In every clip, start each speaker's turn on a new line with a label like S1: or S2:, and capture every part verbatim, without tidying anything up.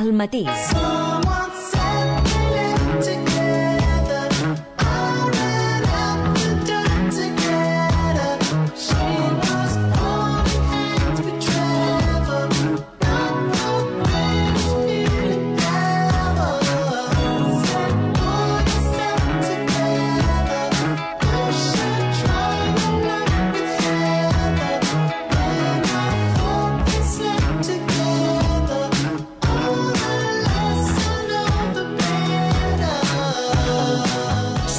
S1: al matí.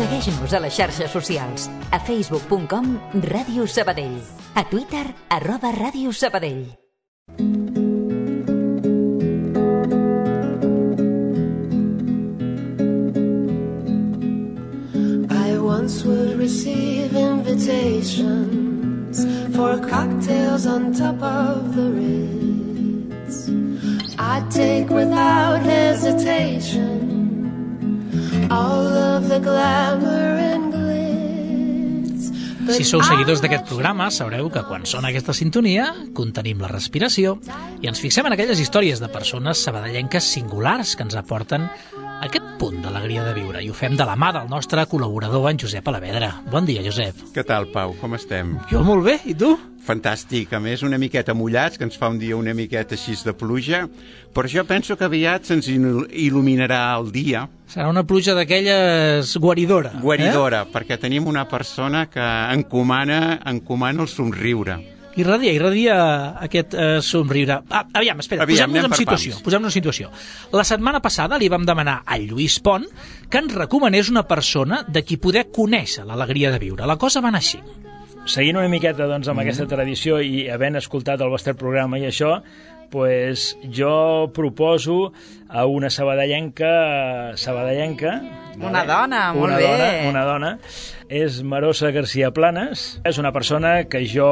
S1: Segueix-nos a les xarxes socials. A facebook punt com Ràdio Sabadell. A Twitter, arroba Ràdio Sabadell.
S2: I once would receive invitations for cocktails on top of the Ritz. I'd take without hesitation all of the glamour and glitz.
S3: Si sou seguidors d'aquest programa, sabreu que quan sona aquesta sintonia, contenim la respiració i ens fixem en aquelles històries de persones sabadellenques singulars que ens aporten aquest punt d'alegria de viure. I ho fem de la mà del nostre col·laborador, en Josep Alavedra. Bon dia, Josep.
S4: Què tal, Pau? Com estem?
S3: Jo molt bé, i tu?
S4: Fantàstic, a més una miqueta mullats, que ens fa un dia una miqueta així de pluja, però jo penso que aviat se'ns il·luminarà el dia.
S3: Serà una pluja d'aquelles guaridora.
S4: Guaridora,
S3: eh?
S4: perquè tenim una persona que encomana, encomana el somriure.
S3: Irradia, irradia aquest eh, somriure. Ah, aviam, espera, posem-nos en situació. Posem-nos en situació. La setmana passada li vam demanar a Lluís Pont que ens recomanés una persona de qui poder conèixer l'alegria de viure. La cosa va anar així.
S5: Seguint una miqueta doncs, amb mm. aquesta tradició i havent escoltat el vostre programa i això, pues, jo proposo a una sabadellenca, sabadellenca
S6: una dona, molt
S5: una
S6: bé.
S5: Dona, una dona, és Marosa García Planas, és una persona que jo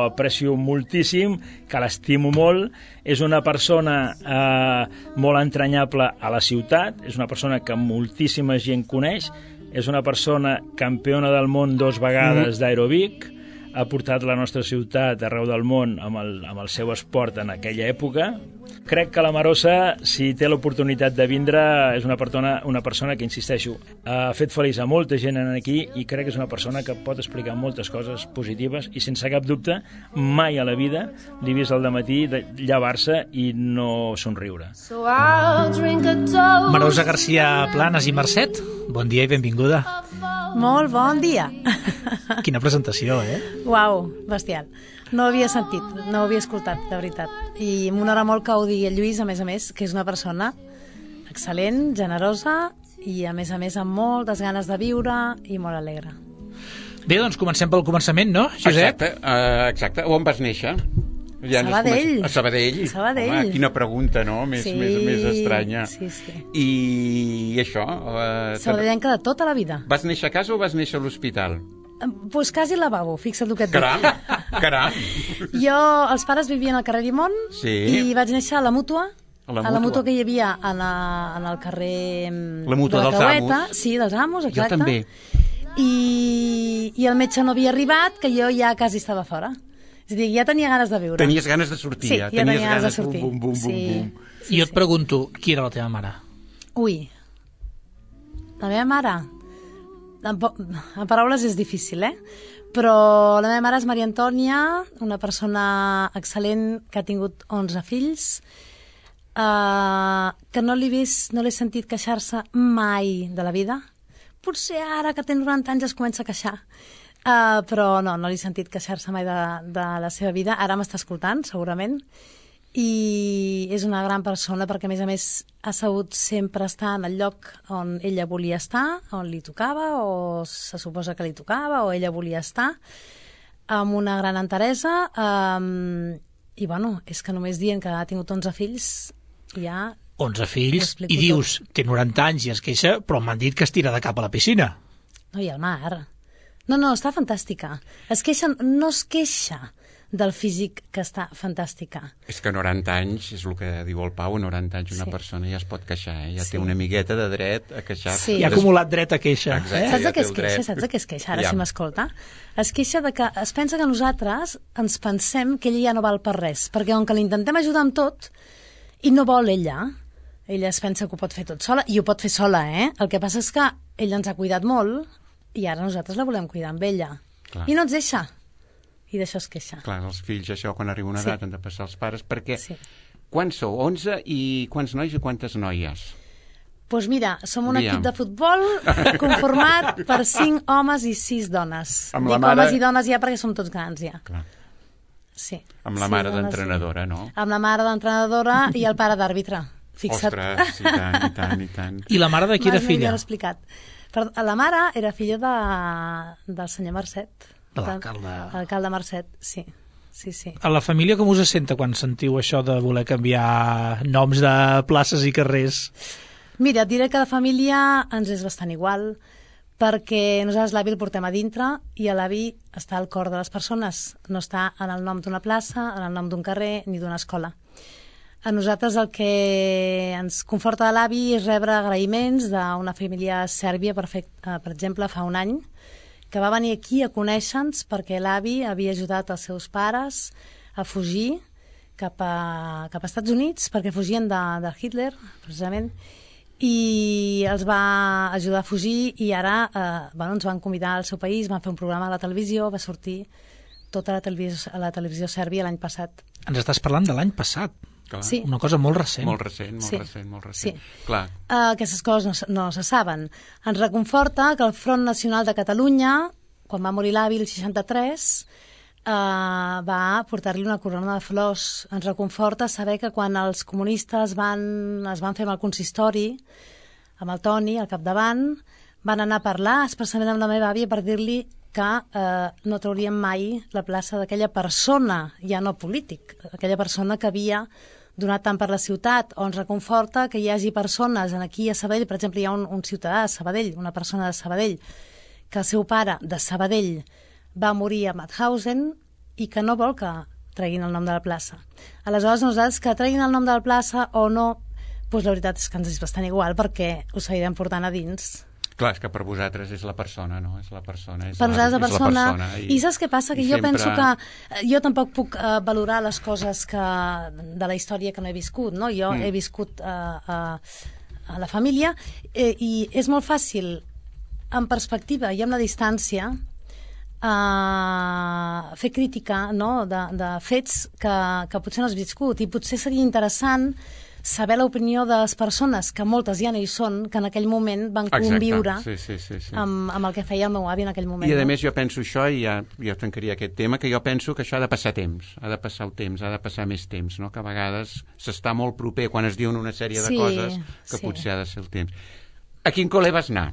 S5: aprecio moltíssim, que l'estimo molt, és una persona eh, molt entranyable a la ciutat, és una persona que moltíssima gent coneix, és una persona campiona del món dos vegades mm. d'aeròbic, ha portat la nostra ciutat arreu del món amb el, amb el seu esport en aquella època. Crec que la Marosa, si té l'oportunitat de vindre, és una persona, una persona que, insisteixo, ha fet feliç a molta gent aquí i crec que és una persona que pot explicar moltes coses positives i sense cap dubte mai a la vida l'he vist al dematí de llevar-se i no somriure.
S3: Marosa García Planas i Mercet, bon dia i benvinguda.
S6: Molt bon dia.
S3: Quina presentació, eh?
S6: Uau, bestial. No ho havia sentit, no ho havia escoltat, de veritat. I m'honora molt que ho digui el Lluís, a més a més, que és una persona excel·lent, generosa i, a més a més, amb moltes ganes de viure i molt alegre.
S3: Bé, doncs comencem pel començament, no, Josep?
S4: Exacte, uh, exacte. On vas néixer? Ja
S6: Sabadell.
S4: A Sabadell.
S6: Sabadell.
S4: Home, quina pregunta, no? Més,
S6: sí,
S4: més, més estranya.
S6: Sí, sí.
S4: I això... Uh,
S6: Sabadellenca de tota la vida.
S4: Vas néixer a casa o vas néixer a l'hospital?
S6: Doncs pues quasi al lavabo, fixa't el que et dic.
S4: Caram, caram.
S6: Jo, els pares vivien al carrer Dimont
S4: sí.
S6: i vaig néixer a la Mútua,
S4: a la,
S6: a la Mútua que hi havia en, a, en el carrer
S4: la Mútua
S6: de la
S4: dels
S6: Creueta.
S4: Amos.
S6: Sí, dels Amos, exacte.
S4: Jo també.
S6: I, I el metge no havia arribat, que jo ja quasi estava fora. És a dir, ja tenia ganes de viure.
S4: Tenies ganes de sortir,
S6: sí,
S4: ja.
S6: ja
S4: Tenies
S6: tenia ganes de sortir.
S4: Bum, bum, bum,
S6: sí.
S4: bum.
S6: Sí,
S3: I jo et
S6: sí.
S3: pregunto, qui era la teva mare?
S6: Ui, la meva mare... En, en paraules és difícil, eh? Però la meva mare és Maria Antònia, una persona excel·lent que ha tingut onze fills, eh, que no l'he vist, no l'he sentit queixar-se mai de la vida. Potser ara que té noranta anys es comença a queixar. Uh, però no, no l'he sentit queixar-se mai de, de la seva vida. Ara m'està escoltant, segurament, i és una gran persona perquè, a més a més, ha sabut sempre estar en el lloc on ella volia estar, on li tocava, o se suposa que li tocava, o ella volia estar, amb una gran enteresa, um, i bueno, és que només dient que ha tingut onze fills, ja...
S3: onze fills, i dius, tot. Té noranta anys i es queixa, però m'han dit que es tira de cap a la piscina.
S6: No, i al mar... No, no, està fantàstica. Es queixa, no es queixa del físic, que està fantàstica.
S4: És que noranta anys, és el que diu el Pau, noranta anys una sí. persona ja es pot queixar, eh? ja sí. té una amigueta de dret a queixar.
S6: Sí.
S3: I ha acumulat dret a queixa.
S4: Exacte,
S6: eh? Saps de
S4: ja
S6: què es queixa? Saps de què es queixa? Ara ja. Si m'escolta. Es queixa de que es pensa que nosaltres ens pensem que ella ja no val per res, perquè com que l'intentem ajudar amb tot i no vol ella, Ella es pensa que ho pot fer tot sola, i ho pot fer sola, eh? El que passa és que ella ens ha cuidat molt i ara nosaltres la volem cuidar amb ella. Clar. I no ens deixa. I d'això es queixa.
S4: Clar, els fills, això, quan arriba una
S6: Sí.
S4: edat, han de passar els pares, perquè...
S6: Sí.
S4: Quants sou? onze i quants nois i quantes noies?
S6: Doncs pues mira, som un
S4: Aviam.
S6: equip de futbol conformat per cinc homes i sis dones.
S4: Amb la
S6: Dic
S4: mare-
S6: homes i dones ja perquè som tots grans ja.
S4: Clar.
S6: Sí.
S4: Amb la
S6: Sí,
S4: mare
S6: dones,
S4: d'entrenadora,
S6: sí.
S4: no?
S6: Amb la mare d'entrenadora i el pare d'àrbitre. Fixa't.
S4: Ostres, i tant, i tant, i tant.
S3: I la mare de qui era
S6: Mai m'havien
S3: filla?
S6: explicat. Però la mare era filla de, del senyor Marcet.
S3: De l'alcalde.
S6: L'alcalde Marcet, sí. Sí, sí.
S3: A la família com us senta quan sentiu això de voler canviar noms de places i carrers?
S6: Mira, et diré que la família ens és bastant igual, perquè nosaltres l'avi el portem a dintre i l'avi està al cor de les persones, no està en el nom d'una plaça, en el nom d'un carrer ni d'una escola. A nosaltres el que ens conforta de l'avi és rebre agraïments d'una família sèrbia, per, fer, per exemple, fa un any, que va venir aquí a conèixer-nos perquè l'avi havia ajudat els seus pares a fugir cap a, cap a Estats Units, perquè fugien de, de Hitler, precisament, i els va ajudar a fugir i ara eh, bueno, ens van convidar al seu país, van fer un programa a la televisió, va sortir tota la televisió, a la televisió sèrbia l'any passat.
S3: Ens estàs parlant de l'any passat.
S4: Clar.
S6: Sí.
S3: Una cosa molt recent.
S4: Molt recent, molt
S6: Sí.
S4: recent, molt recent.
S6: Sí.
S4: Clar.
S6: Uh, aquestes coses no, se- no se saben. Ens reconforta que el Front Nacional de Catalunya, quan va morir l'avi el seixanta-tres, uh, va portar-li una corona de flors. Ens reconforta saber que quan els comunistes van, es van fer amb el consistori, amb el Toni al capdavant, van anar a parlar expressament amb la meva àvia per dir-li que eh, no trauríem mai la plaça d'aquella persona, ja no polític, aquella persona que havia donat tant per la ciutat, o ens reconforta que hi hagi persones, en aquí a Sabadell, per exemple, hi ha un, un ciutadà de Sabadell, una persona de Sabadell, que el seu pare de Sabadell va morir a Mauthausen i que no vol que treguin el nom de la plaça. Aleshores, nosaltres que treguin el nom de la plaça o no, doncs la veritat és que ens és bastant igual, perquè ho seguirem portant a dins.
S4: Clar, és que per vosaltres és la persona, no? És la persona. És
S6: Per nosaltres la
S4: és
S6: persona...
S4: persona
S6: I, I saps què passa? Que
S4: i
S6: jo
S4: sempre...
S6: penso que... eh, Jo tampoc puc uh, valorar les coses que, de la història que no he viscut, no? Jo mm. he viscut uh, uh, a la família eh, i és molt fàcil, en perspectiva i amb la distància, uh, fer crítica, no?, de, de fets que, que potser no has viscut, i potser seria interessant saber l'opinió de les persones, que moltes ja no hi són, que en aquell moment van
S4: Exacte.
S6: conviure
S4: Sí, sí, sí, sí.
S6: amb, amb el que feia el meu avi en aquell moment.
S4: I a
S6: no?
S4: més jo penso això, i ja, ja tancaria aquest tema, que jo penso que això ha de passar temps, ha de passar el temps, ha de passar més temps, no? Que a vegades s'està molt proper quan es diuen una sèrie de
S6: Sí,
S4: coses que
S6: sí.
S4: potser ha de ser el temps. A quin col·le vas anar?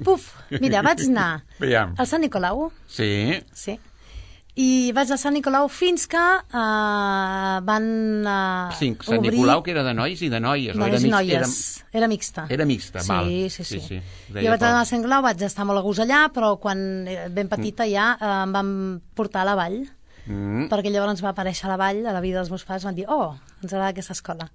S6: Puf, mira, vaig anar
S4: Aviam.
S6: al Sant Nicolau,
S4: Sí,
S6: sí, i vaig al Sant Nicolau fins que uh, van uh,
S4: sí, Sant
S6: obrir...
S4: Nicolau, que era de nois i de noies. o
S6: Noies
S4: era
S6: i
S4: mixt-
S6: noies. Era mixta.
S4: Era, era mixta,
S6: sí,
S4: val.
S6: Sí, sí,
S4: sí.
S6: sí.
S4: Deia
S6: Jo vaig anar
S4: Pau.
S6: al Sant Nicolau, vaig estar molt a gust allà, però quan era ben petita ja uh, em van portar a la vall,
S4: Mm,
S6: perquè llavors ens va aparèixer a la vall, a la vida dels meus pares, van dir, oh, ens agrada aquesta escola.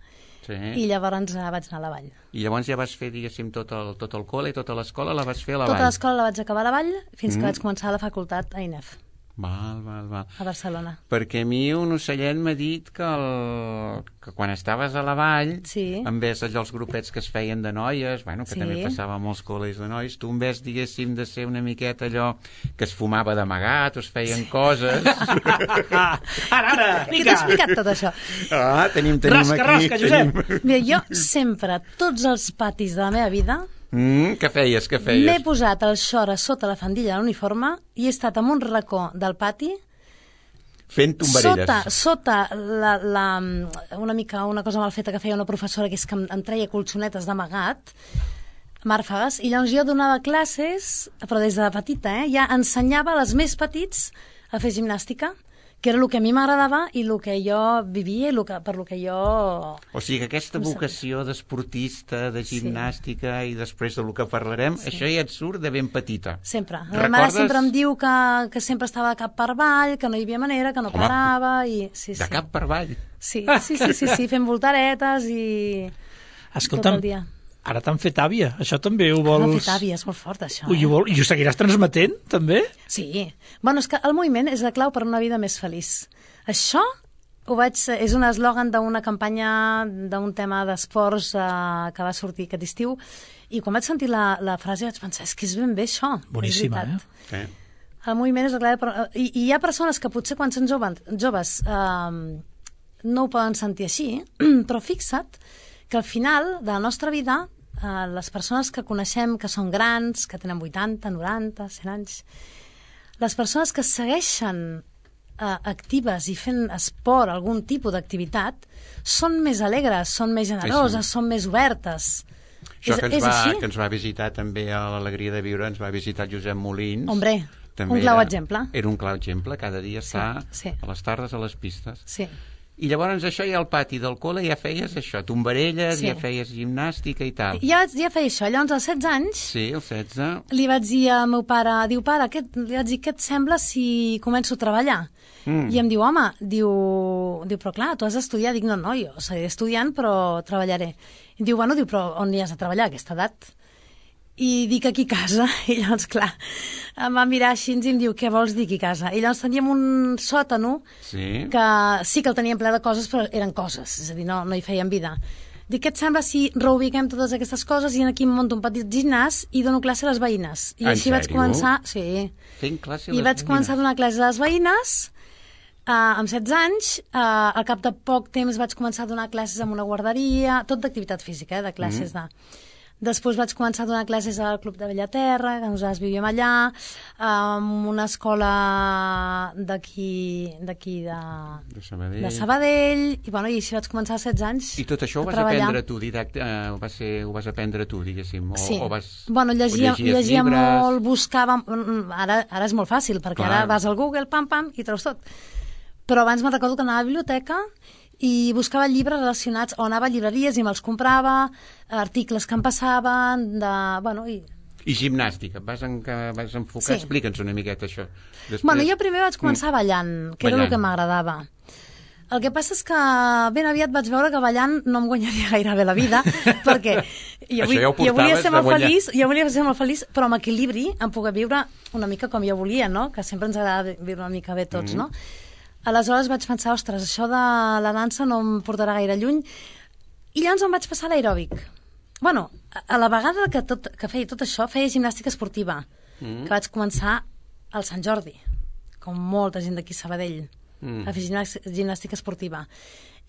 S4: sí.
S6: I llavors uh, vaig anar a la vall.
S4: I llavors ja vas fer, diguéssim, tot el, tot el col·le, tota l'escola la vas fer a la
S6: Tota
S4: vall.
S6: l'escola la vaig acabar a la vall fins que
S4: Mm.
S6: vaig començar a la facultat a I N E F,
S4: Val, val, val.
S6: a Barcelona.
S4: Perquè a mi un ocellet m'ha dit que, el, que quan estaves a la vall,
S6: Sí.
S4: en vez allò els grupets que es feien de noies, bueno, que
S6: Sí.
S4: també passava a molts col·legis de nois, tu en vez, diguéssim, de ser una miqueta allò que es fumava d'amagat o es feien coses...
S3: Ah, ara, ara,
S6: Qui t'ha explicat tot això?
S4: Ah, tenim, tenim
S3: Rasca,
S4: aquí...
S3: rasca, Josep.
S4: tenim-
S6: Mira, jo sempre, tots els patis de la meva vida,
S4: Mm, què feies, què
S6: m'he
S4: feies?
S6: posat el xor a sota la faldilla de l'uniforme i he estat en un racó del pati,
S4: Fent tombarelles.
S6: sota, sota la, la, una mica una cosa mal feta que feia una professora, que és que em, em treia colxonetes d'amagat, màrfegues, i llavors jo donava classes, però des de petita, eh? Ja ensenyava a les més petits a fer gimnàstica, que era el que a mi m'agradava i el que jo vivia i el que, per el que jo...
S4: O sigui que aquesta vocació d'esportista, de gimnàstica i després del que parlarem, sí. això ja et surt de ben petita.
S6: Sempre. La meva mare
S4: Recordes?
S6: sempre em diu que, que sempre estava de cap per avall, que no hi havia manera, que no
S4: Home,
S6: parava, i... Sí,
S4: De
S6: sí.
S4: cap per avall.
S6: Sí, sí, sí, sí, sí, fent voltaretes i...
S3: Escolta'm,
S6: tot el dia.
S3: ara t'han fet àvia. Això també ho
S6: No,
S3: vols...
S6: fet àvia, és molt fort, això.
S3: Ui,
S6: Eh?
S3: ho vol... I ho seguiràs transmetent, també?
S6: Sí. Bueno, és que el moviment és la clau per una vida més feliç. Això ho vaig, és un eslògan d'una campanya d'un tema d'esports eh, que va sortir aquest estiu, i quan vaig sentir la, la frase vaig pensar, és que és ben bé això.
S3: Boníssima, eh?
S4: Eh?
S6: El moviment és la clau, però, i, i hi ha persones que potser quan són joves, joves eh, no ho poden sentir així, però fixa't que al final de la nostra vida eh, les persones que coneixem que són grans, que tenen vuitanta, noranta, cent anys, les persones que segueixen eh, actives i fent esport, algun tipus d'activitat, són més alegres, són més generoses, sí, sí. són més obertes.
S4: Això
S6: és,
S4: que ens,
S6: és
S4: va,
S6: així?
S4: que ens va visitar també a l'Alegria de Viure, ens va visitar Josep Molins.
S6: Hombre,
S4: també
S6: un clau
S4: era,
S6: exemple.
S4: Era un clau exemple, cada dia
S6: Sí,
S4: està
S6: sí.
S4: a les tardes a les pistes.
S6: Sí.
S4: I llavors això ja al pati del col·le ja feies això, tombarelles,
S6: Sí.
S4: ja feies gimnàstica i tal.
S6: Ja, ja feia això. Llavors, als setze anys,
S4: Sí, el setze.
S6: li vaig dir al meu pare, diu, pare, què, li vaig dir, què et sembla si començo a treballar?
S4: Mm.
S6: I em diu, home, diu, diu, però clar, tu has d'estudiar. Dic, no, no, jo seguiré estudiant, però treballaré. I diu, bueno, diu, però on hi has de treballar a aquesta edat? I dic, aquí a casa. I llavors, clar, em va mirar així i em diu, què vols dir aquí a casa? I llavors teníem un sòtano
S4: Sí.
S6: que sí que el teníem ple de coses, però eren coses, és a dir, no, no hi feien vida. Dic, què et sembla si reubiquem totes aquestes coses i aquí em monto un petit gimnàs i dono classe a les veïnes? I
S4: En
S6: així vaig
S4: sèrio?
S6: començar... Sí.
S4: Fent classe a
S6: I
S4: les
S6: vaig començar a donar classe a les veïnes uh, amb setze anys. Uh, al cap de poc temps vaig començar a donar classes en una guarderia, tot d'activitat física, eh, de classes mm. de... Després vaig començar a donar classes al Club de Bellaterra, que nosaltres vivíem allà, en una escola d'aquí d'aquí de,
S4: de Sabadell.
S6: de Sabadell, i, bueno, i així vaig començar a setze anys.
S4: I tot això ho
S6: a
S4: vas
S6: treballar.
S4: aprendre tu, didacte, eh, ho, vas ser, ho vas aprendre tu, diguéssim? O,
S6: Sí.
S4: o vas,
S6: bueno, llegia,
S4: o llegies
S6: llegia
S4: llibres?
S6: molt, buscava... Ara, ara és molt fàcil, perquè
S4: Clar.
S6: ara vas al Google, pam, pam, i treus tot. Però abans me'n recordo que anava a la biblioteca i buscava llibres relacionats, o anava a llibreries i me'ls comprava, articles que em passaven, de... Bueno, i...
S4: I gimnàstica, vas, en, vas enfocar?
S6: Sí.
S4: Explica'ns una miqueta això. Després...
S6: Bueno, jo primer vaig començar mm. ballant, que era
S4: Ballant.
S6: el que m'agradava. El que passa és que ben aviat vaig veure que ballant no em guanyaria gaire bé la vida, perquè jo,
S4: Això
S6: vull,
S4: ja ho
S6: jo volia
S4: portaves
S6: ser
S4: de
S6: molt
S4: guanyar.
S6: feliç, jo volia ser molt feliç, però amb equilibri em poder viure una mica com jo volia, no? Que sempre ens agrada viure una mica bé tots, mm. no? Aleshores vaig pensar, ostres, això de la dansa no em portarà gaire lluny, i llavors em vaig passar a l'aeròbic. Bueno, a la vegada que, tot, que feia tot això, feia gimnàstica esportiva, mm. que vaig començar al Sant Jordi, com molta gent d'aquí a Sabadell, mm. a fer gimnàstica esportiva.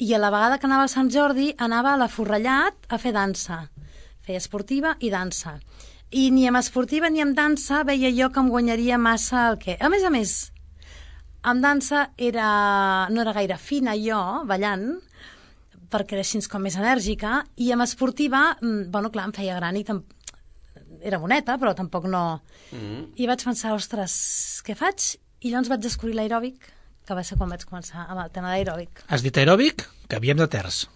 S6: I a la vegada que anava al Sant Jordi, anava a la Forrellat a fer dansa. Feia esportiva i dansa. I ni amb esportiva ni amb dansa veia jo que em guanyaria massa el què. A més a més, amb dansa era, no era gaire fina jo, ballant, perquè era així com més enèrgica, i amb esportiva, bueno, clar, em feia gran i tam... era boneta, però tampoc no... Mm. I vaig pensar, ostres, què faig? I llavors vaig descobrir l'aeròbic, que va ser quan vaig començar amb el tema de l'aeròbic.
S3: Has dit aeròbic? Canviem de terç.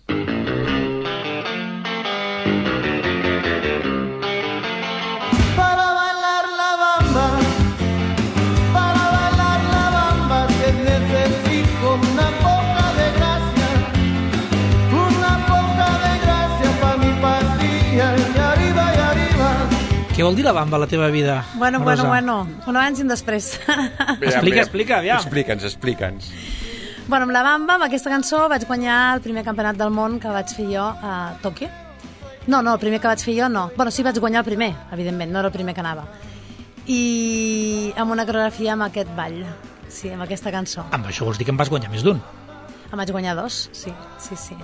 S7: Para bailar la bamba, para bailar la bamba, que necesito una poca de gracia, una poca de gracia pa' mi patria, y arriba y arriba.
S3: Què vol dir la bamba a la teva vida,
S6: Bueno,
S3: Rosa?
S6: bueno, bueno, un abans i un després.
S3: Explica, explica, aviam.
S4: Explica'ns, explica'ns.
S6: Bueno, amb la bamba, amb aquesta cançó, vaig guanyar el primer campionat del món que vaig fer jo a Tòquio. No, no, el primer que vaig fer jo no. Bueno, sí, vaig guanyar el primer, evidentment, no era el primer que anava. I amb una coreografia amb aquest ball, sí, amb aquesta cançó.
S3: Amb això vols dir que en vas guanyar més d'un.
S6: Em vaig guanyar dos, sí, sí, sí.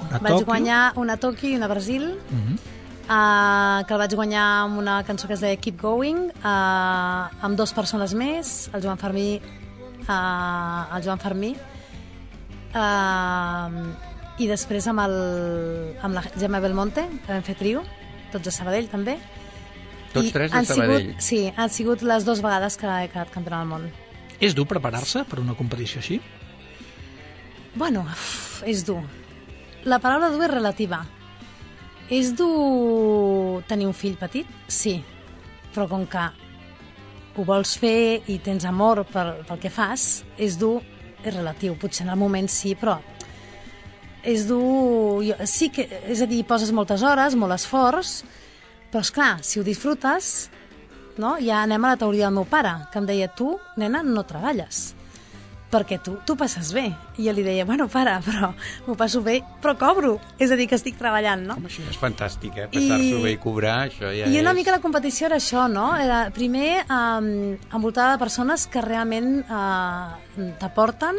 S3: Una
S6: vaig
S3: Tòquio.
S6: guanyar una a Tòquio i una a Brasil,
S3: Uh -huh.
S6: uh, que el vaig guanyar amb una cançó que es deia Keep Going, uh, amb dues persones més, el Joan Fermí, uh, el Joan Fermí, uh, i després amb, el, amb la Gemma Belmonte, que vam fer trio, tots a Sabadell també.
S4: Tots
S6: I
S4: tres de
S6: han
S4: Sabadell.
S6: Sigut, sí, han sigut les dues vegades que he quedat campionat del món.
S3: És dur preparar-se per una competició així?
S6: Bueno, uf, és dur. La paraula dur és relativa. És dur tenir un fill petit? Sí. Però com que ho vols fer i tens amor pel, pel que fas, és dur, és relatiu. Potser en el moment sí, però és dur... Jo, sí que, és a dir, poses moltes hores, molt esforç, però esclar, si ho disfrutes, no? Ja anem a la teoria del meu pare, que em deia, tu, nena, no treballes. perquè tu tu passes bé. I jo li deia, bueno, para, però m'ho passo bé, però cobro. És a dir, que estic treballant, no?
S4: Home, això és fantàstic, eh? Passar-s'ho bé i cobrar, això ja
S6: I una
S4: és...
S6: mica la competició era això, no? Era, primer, um, envoltada de persones que realment uh, t'aporten,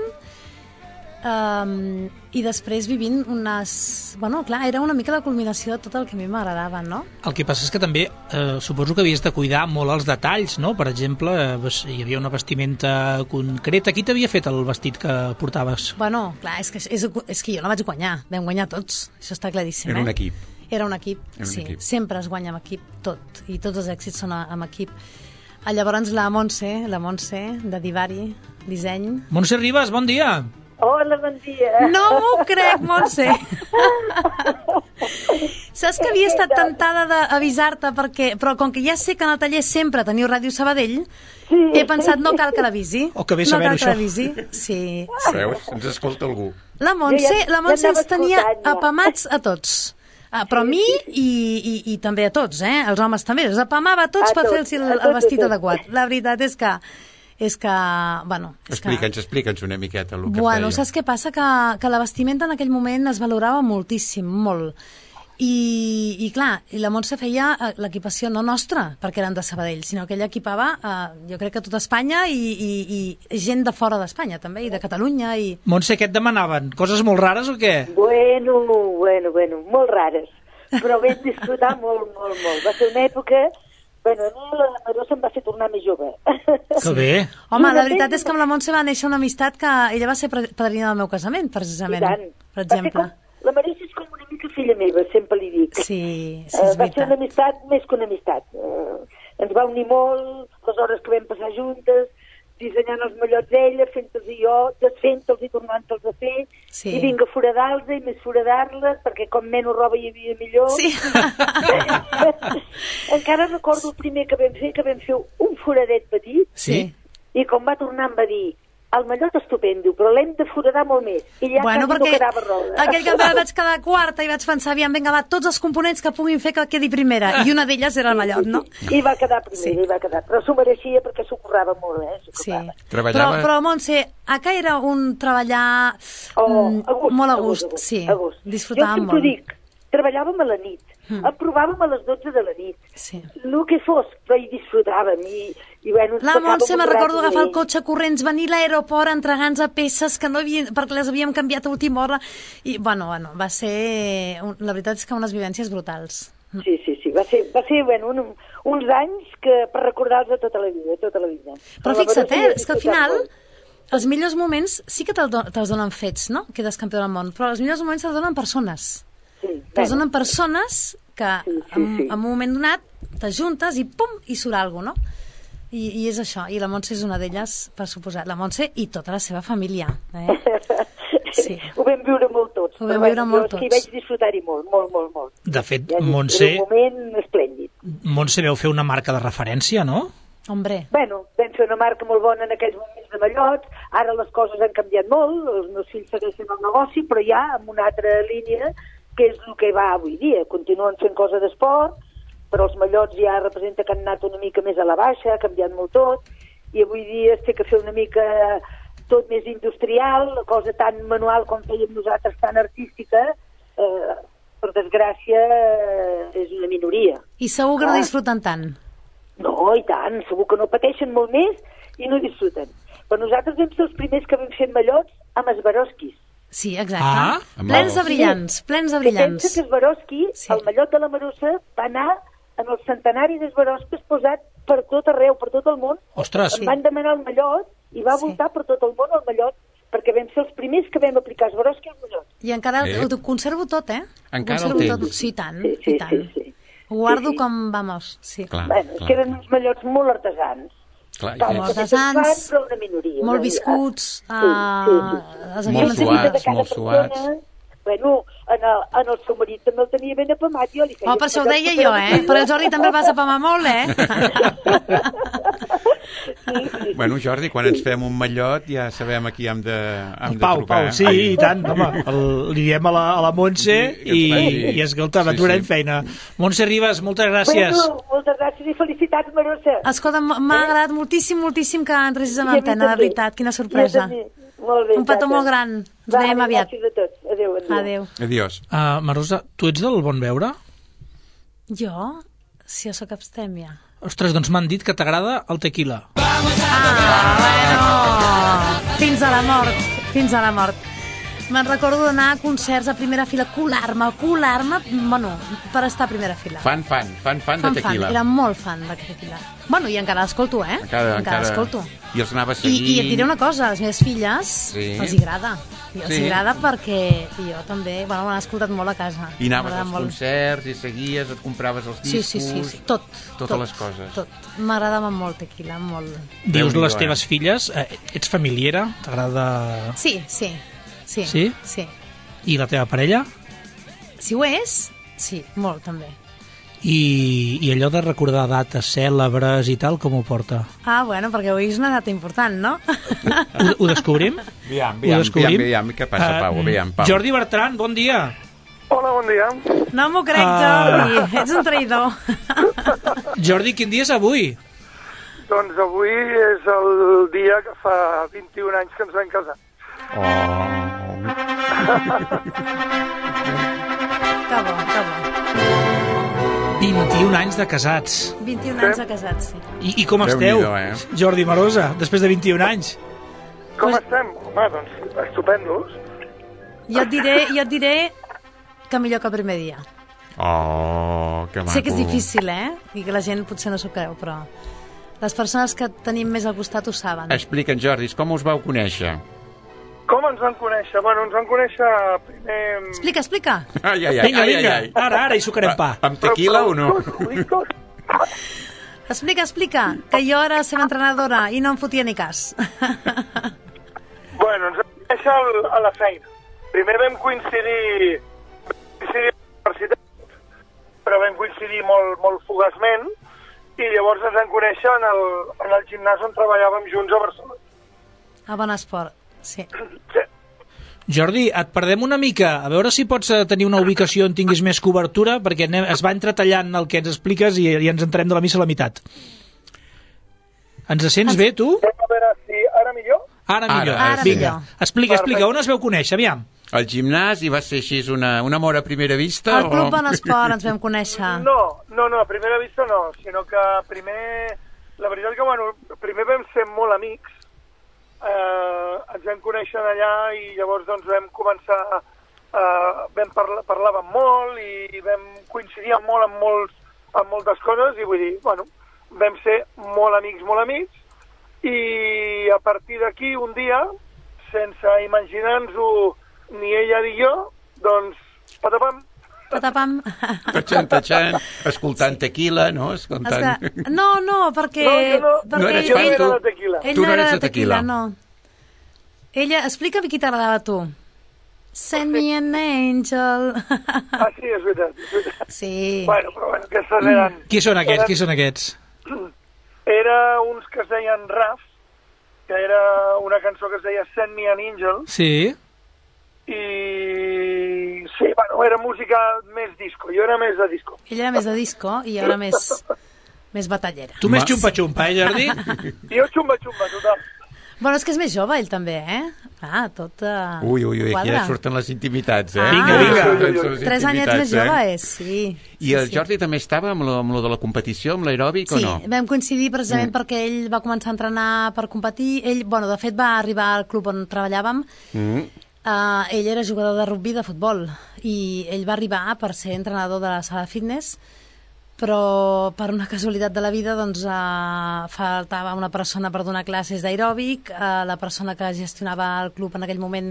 S6: Um, i després vivint unes... Bueno, clar, era una mica la culminació de tot el que a mi m'agradava, no?
S3: El que passa és que també eh, suposo que havies de cuidar molt els detalls, no? Per exemple, eh, hi havia una vestimenta concreta. Qui t'havia fet el vestit que portaves?
S6: Bueno, clar, és que, és, és que jo la vaig guanyar. Vam guanyar tots, això està claríssim.
S4: Era un
S6: eh?
S4: equip.
S6: Era un equip,
S4: Era un
S6: sí.
S4: equip.
S6: Sempre es guanya amb equip, tot. I tots els èxits són a, amb equip. A llavors la Montse, la Montse, de Divari, disseny...
S3: Montse Ribas, bon dia!
S8: Hola, bon dia.
S6: No m'ho crec, Montse. Saps que havia estat tentada d'avisar-te, perquè, però com que ja sé que en el taller sempre teniu Ràdio Sabadell, sí. He pensat no cal que l'avisi.
S3: O que bé saber-ho,
S6: no cal que l'avisi. Sí, sí.
S4: Veus? Ens escolta algú.
S6: La Montse,
S8: Jo ja-
S6: la Montse
S8: ja
S6: ens
S8: anava
S6: tenia
S8: escoltant, ja.
S6: apamats a tots. Ah, però a mi i, i, i també a tots, eh? Els homes també. Els apamava a tots
S8: A
S6: per
S8: tots,
S6: fer-los el,
S8: a
S6: el
S8: tots,
S6: vestit
S8: a tots.
S6: adequat. La veritat és que... És que, bueno... És
S4: Explica'ns,
S6: que...
S4: explica'ns una miqueta el que
S6: Bueno,
S4: feia.
S6: saps què passa? Que, que la vestimenta en aquell moment es valorava moltíssim, molt. I, i clar, i la Montse feia eh, l'equipació no nostra, perquè eren de Sabadell, sinó que ella equipava, eh, jo crec que tota Espanya i, i, i gent de fora d'Espanya també, i de Catalunya. I...
S3: Montse, què et demanaven? Coses molt rares o què?
S8: Bueno, bueno, bueno, molt rares. Però vam disfrutar molt, molt, molt. Va ser una època... Bueno, a mi la Marosa em va fer tornar més jove.
S3: Que bé.
S6: Home, la veritat és que amb la Montse va néixer una amistat que ella va ser pre- padrina del meu casament, precisament,
S8: I tant.
S6: per
S8: Va ser
S6: exemple.
S8: Com, la Marosa és com una mica filla meva, sempre li dic.
S6: Sí, sí,
S8: Eh,
S6: és
S8: va ser una
S6: veritat.
S8: amistat més que una amistat. Eh, ens va unir molt, les hores que vam passar juntes, dissenyant els mallots ella, fent-los i jo, desfent-los i tornant-los a fer,
S6: Sí.
S8: i vinga a foradar-los i més foradar-les, perquè com menys roba hi havia millor.
S6: Sí.
S8: Encara recordo el primer que vam fer, que vam fer un foradet petit,
S6: Sí.
S8: i com va tornar em va dir, el mallot estupendo, però l'hem de foradar molt més. I ja
S6: Bueno,
S8: quasi
S6: perquè
S8: no quedava roda.
S6: aquell campionat vaig quedar quarta i vaig pensar, aviam, vinga, va, tots els components que puguin fer que quedi primera. I una d'elles era el mallot, no?
S8: I va quedar primera,
S6: Sí.
S8: i va quedar. Però s'ho mereixia perquè s'ho currava molt, eh? S'ho
S6: Sí.
S8: currava.
S6: Però,
S4: Treballava-
S6: però, Montse, acá era un treballar
S8: Oh,
S6: mm,
S8: a gust,
S6: molt a
S8: a
S6: gust,
S8: gust, a gust,
S6: sí.
S8: a gust.
S6: Disfrutàvem
S8: Jo sempre
S6: molt.
S8: dic, treballàvem a la nit, mm. aprovàvem a les dotze de la nit,
S6: Sí.
S8: el que fos, però hi disfrutàvem i, i bueno, ens
S6: La
S8: passàvem
S6: Montse,
S8: un
S6: me
S8: rato
S6: recordo agafar el
S8: bé.
S6: cotxe corrents, venir a l'aeroport, entregar-nos a peces que no havien, perquè les havíem canviat a última hora. I, bueno, bueno, va ser... un- La veritat és que unes vivències brutals.
S8: Sí, sí, sí, va ser, va ser bueno, un, uns anys que per recordar-los tota la vida, tota la vida.
S6: Però
S8: la
S6: fixa't,
S8: Marosa hi
S6: eh,
S8: ha
S6: és que al
S8: disfrutat
S6: final
S8: molt.
S6: els millors moments sí que te'ls do- te'ls donen fets, no? Quedes campió del món, però els millors moments te'ls donen persones.
S8: Sí,
S6: Te'ls
S8: bueno,
S6: donen persones que
S8: Sí, sí,
S6: en,
S8: sí.
S6: en un moment donat t'ajuntes i pum, i surt alguna cosa, no? I, I és això, i la Montse és una d'elles, per suposar. La Montse i tota la seva família. Eh? Sí.
S8: Ho vam viure molt tots.
S6: Ho vam
S8: però
S6: viure
S8: bueno,
S6: molt
S8: jo és que hi
S6: tots.
S8: vaig disfrutar-hi molt, molt, molt, molt.
S3: De fet,
S8: Ja dic,
S3: Montse,
S8: Era un moment esplèndid.
S3: Montse veu fer una marca de referència, no?
S6: Hombre,
S8: Bueno, vam fer una marca molt bona en aquells moments de mallots, ara les coses han canviat molt, els meus fills segueixen el negoci, però ja amb una altra línia, que és el que va avui dia. Continuen fent coses d'esport, però els mallots ja representa que han anat una mica més a la baixa, ha canviat molt tot, i avui dia es té que fer una mica tot més industrial, la cosa tan manual com fèiem nosaltres, tan artística, eh, per desgràcia, eh, és una minoria.
S6: i segur que no
S8: Ah.
S6: disfruten tant.
S8: No, i tant, segur que no pateixen molt més i no disfruten. Però nosaltres vam ser els primers que vam fer mallots amb esbaroskis.
S6: Sí, exacte.
S3: Ah,
S6: plens de
S4: amb
S6: brillants, plens de
S8: Que pensa
S6: brillants.
S8: que Swarovski,
S6: Sí.
S8: sí. el mallot de la Marosa, va anar en el centenari de Swarovski posat per tot arreu, per tot el món.
S3: Ostres,
S8: Em van demanar el mallot i va
S6: Sí.
S8: voltar per tot el món el mallot, perquè vam ser els primers que vam aplicar Swarovski al mallot.
S6: I encara
S4: Eh?
S6: ho, ho conservo tot, eh? Ho
S4: Encara
S6: conservo
S4: el
S6: tot.
S4: tens?
S6: Sí, i tant,
S8: Sí, sí,
S6: i tant.
S8: sí, sí.
S6: Ho guardo
S8: Sí, sí.
S6: com, vamos, sí.
S4: Clar,
S8: Bueno, és
S4: clar,
S8: que eren uns mallots molt artesans.
S4: clar,
S8: Tal,
S4: i
S6: Com
S8: que
S4: és-
S8: tots fan,
S6: artesans,
S8: però una minoria.
S6: molt
S8: una
S6: viscuts,
S8: Sí,
S6: eh,
S8: sí, sí.
S6: els
S4: Molt
S6: havíem
S8: Una
S4: suats,
S8: mica de cada
S4: molt
S8: persona.
S4: suats.
S8: Bueno, en el, en el seu marit també el tenia ben apamat. Jo li feia
S6: Oh, per això ho
S8: un
S6: deia
S8: mallot
S6: jo, eh? Però el Jordi també el vas apamar molt, eh?
S8: Sí, sí.
S4: Bueno, Jordi, quan ens fem un mallot ja sabem a qui hem de, hem
S3: el
S4: de
S3: Pau,
S4: trucar.
S3: Pau, sí, i tant, home, el, li diem a la, a la Montse
S4: Sí,
S3: i,
S4: sí.
S3: i escolta,
S4: Sí,
S3: sí, sí.
S4: sí.
S3: feina. Montse Ribas, moltes gràcies.
S8: Bueno, moltes gràcies i felicitats, Marosa.
S6: Escolta, m'ha agradat moltíssim, moltíssim que entressis en
S8: I a mi
S6: antena, de
S8: també.
S6: veritat, quina
S8: I a
S6: sorpresa.
S8: també. molt bé.
S6: Un petó
S8: Tata.
S6: molt gran. Ens
S8: Va,
S6: veiem aviat.
S8: gràcies a tots. Adéu, adéu.
S6: Adéu.
S4: Adiós.
S3: Uh, Marosa, tu ets del bon veure?
S6: Jo? Si jo sóc abstèmia.
S3: Ostres, doncs m'han dit que t'agrada el tequila.
S6: Ah, bueno. Fins a la mort. Fins a la mort. Me'n recordo d'anar a concerts a primera fila, colar-me, colar-me, bueno, per estar a primera fila.
S4: Fan, fan, fan, fan de
S6: Fan,
S4: tequila.
S6: fan, era molt fan de tequila. Bueno, i encara l'escolto, eh?
S4: Encara,
S6: encara l'escolto.
S4: I els anava
S6: I,
S4: seguint.
S6: I et diré una cosa, les meves filles
S4: Sí.
S6: els agrada. I els
S4: Sí.
S6: agrada perquè jo també, bueno, m'han escoltat molt a casa.
S4: I anaves
S6: M'agrada
S4: als
S6: molt.
S4: concerts i seguies, et compraves els
S6: Sí,
S4: discos...
S6: sí, sí, sí, tot.
S4: Totes
S6: tot,
S4: les coses.
S6: Tot. M'agradava molt tequila, molt.
S3: Dius
S4: Déu-n'hi-do,
S3: les teves
S4: eh?
S3: filles, eh, ets familiera? T'agrada...
S6: Sí, sí, sí.
S3: Sí?
S6: Sí.
S3: I la teva parella?
S6: Si ho és, sí, molt també.
S3: I, I allò de recordar dates cèlebres i tal, com ho porta?
S6: Ah, bueno, perquè avui és una data important, no?
S3: Ho, ho descobrim?
S4: Aviam,
S3: Ho
S4: aviam,
S3: descobrim?
S4: aviam, aviam, què passa,
S3: Eh,
S4: Pau? Aviam, Pau.
S3: Jordi Bertran, bon dia.
S9: Hola, bon dia.
S6: No m'ho crec,
S3: Ah.
S6: Jordi. Ets un traïdor.
S3: Jordi, quin dia és avui?
S9: Doncs avui és el dia que fa vint-i-un anys que ens vam casar.
S4: Oh.
S6: Que bo, que bo.
S3: vint-i-un anys de casats.
S6: vint-i-un anys de casats, sí.
S3: I, i com esteu,
S4: Déu-n'hi-do, eh?
S3: Jordi Marosa, després de vint-i-un anys?
S9: Com
S6: Pues-
S9: estem? Home, doncs, estupendos.
S6: Jo et diré, jo et diré que millor que el primer dia.
S4: Oh, que maco.
S6: Sé que és difícil, eh? I que la gent potser no s'ho creu, però les persones que tenim més al costat ho saben.
S4: Explica'ns, Jordi, com us vau conèixer?
S9: Com ens vam conèixer? Bueno, ens vam conèixer primer...
S6: Explica, explica.
S4: Ai, ai, ai,
S3: Vinga,
S4: ai,
S3: vinga,
S4: ai, ai.
S3: ara, ara, hi sucarem pa.
S4: Amb tequila o no?
S9: Ho dic tot.
S6: Explica, explica, que jo era la seva entrenadora i no em fotia ni cas.
S9: Bueno, ens vam conèixer al- a la feina. Primer vam coincidir, coincidir a la universitat, però vam coincidir molt, molt fugaçment, i llavors ens vam conèixer en el, en el gimnàs on treballàvem junts a Barcelona.
S6: A bon esport, sí.
S9: Sí.
S3: Jordi, et perdem una mica, a veure si pots eh, tenir una ubicació on tinguis més cobertura, perquè anem, es va entretallant el que ens expliques i, i ens entrem de la missa a la meitat. Ens sents bé, tu?
S9: A veure si ara millor.
S3: Ara millor.
S4: Ara,
S6: Ara
S3: Vinga,
S6: millor.
S3: explica, explica,
S9: Perfecte.
S3: on es veu conèixer, aviam.
S4: Al gimnàs, i va ser així una, un amor a primera vista?
S6: Al Club
S4: o...
S6: Bon Esport ens vam conèixer.
S9: No, no, no, a primera vista no, sinó que primer, la veritat que, bueno, primer vam ser molt amics, eh, ens vam conèixer allà i llavors doncs vam començar, eh, vam parla, parlàvem molt i vam coincidir molt en, molts, en moltes coses i vull dir, bueno, vam ser molt amics, molt amics, i a partir d'aquí un dia, sense imaginar-nos-ho ni ella ni jo, doncs, patapam,
S6: Patapam.
S4: Tatxant, tatxant, escoltant tequila, no? Escoltant...
S6: Esclar, no, no, perquè...
S9: No, jo no-
S6: perquè
S4: no eres
S6: ell,
S4: fan,
S6: ell,
S4: tu?
S9: de tequila.
S6: ell
S4: Tu
S6: no era de tequila,
S4: tequila.
S6: no. Ella, explica'm qui t'agradava a tu. Send me an angel.
S9: Ah, sí, és veritat, és veritat.
S6: Sí.
S9: Bueno, però bueno, aquestes eren...
S3: Qui són aquests, qui són aquests?
S9: Era uns que es deien Raf, que era una cançó que es deia Send Me an Angel,
S3: Sí.
S9: i sí, bueno, era música més disco, jo era més de disco.
S6: Ella era més de disco i jo era més, més batallera.
S3: Tu més
S4: Ma-
S3: xumpa-xumpa, eh, Jordi?
S9: Jo xumba-xumba, total.
S6: Bueno, és que és més jove, ell també, eh? Ah, tot uh,
S4: Ui, ui, ui, aquí
S6: quadra.
S4: ja surten les intimitats, eh?
S6: Ah.
S3: Vinga, vinga.
S4: Surten les
S6: Tres anyets més
S4: intimitats, eh?
S6: jove és, sí.
S4: I el Jordi també estava amb lo, amb lo de la competició, amb l'aeròbic,
S6: Sí,
S4: o no?
S6: vam coincidir precisament mm. perquè ell va començar a entrenar per competir. Ell, bueno, de fet, va arribar al club on treballàvem.
S4: Mm.
S6: Uh, ell era jugador de rugby de futbol i ell va arribar per ser entrenador de la sala de fitness, però per una casualitat de la vida doncs, uh, faltava una persona per donar classes d'aeròbic. Uh, la persona que gestionava el club en aquell moment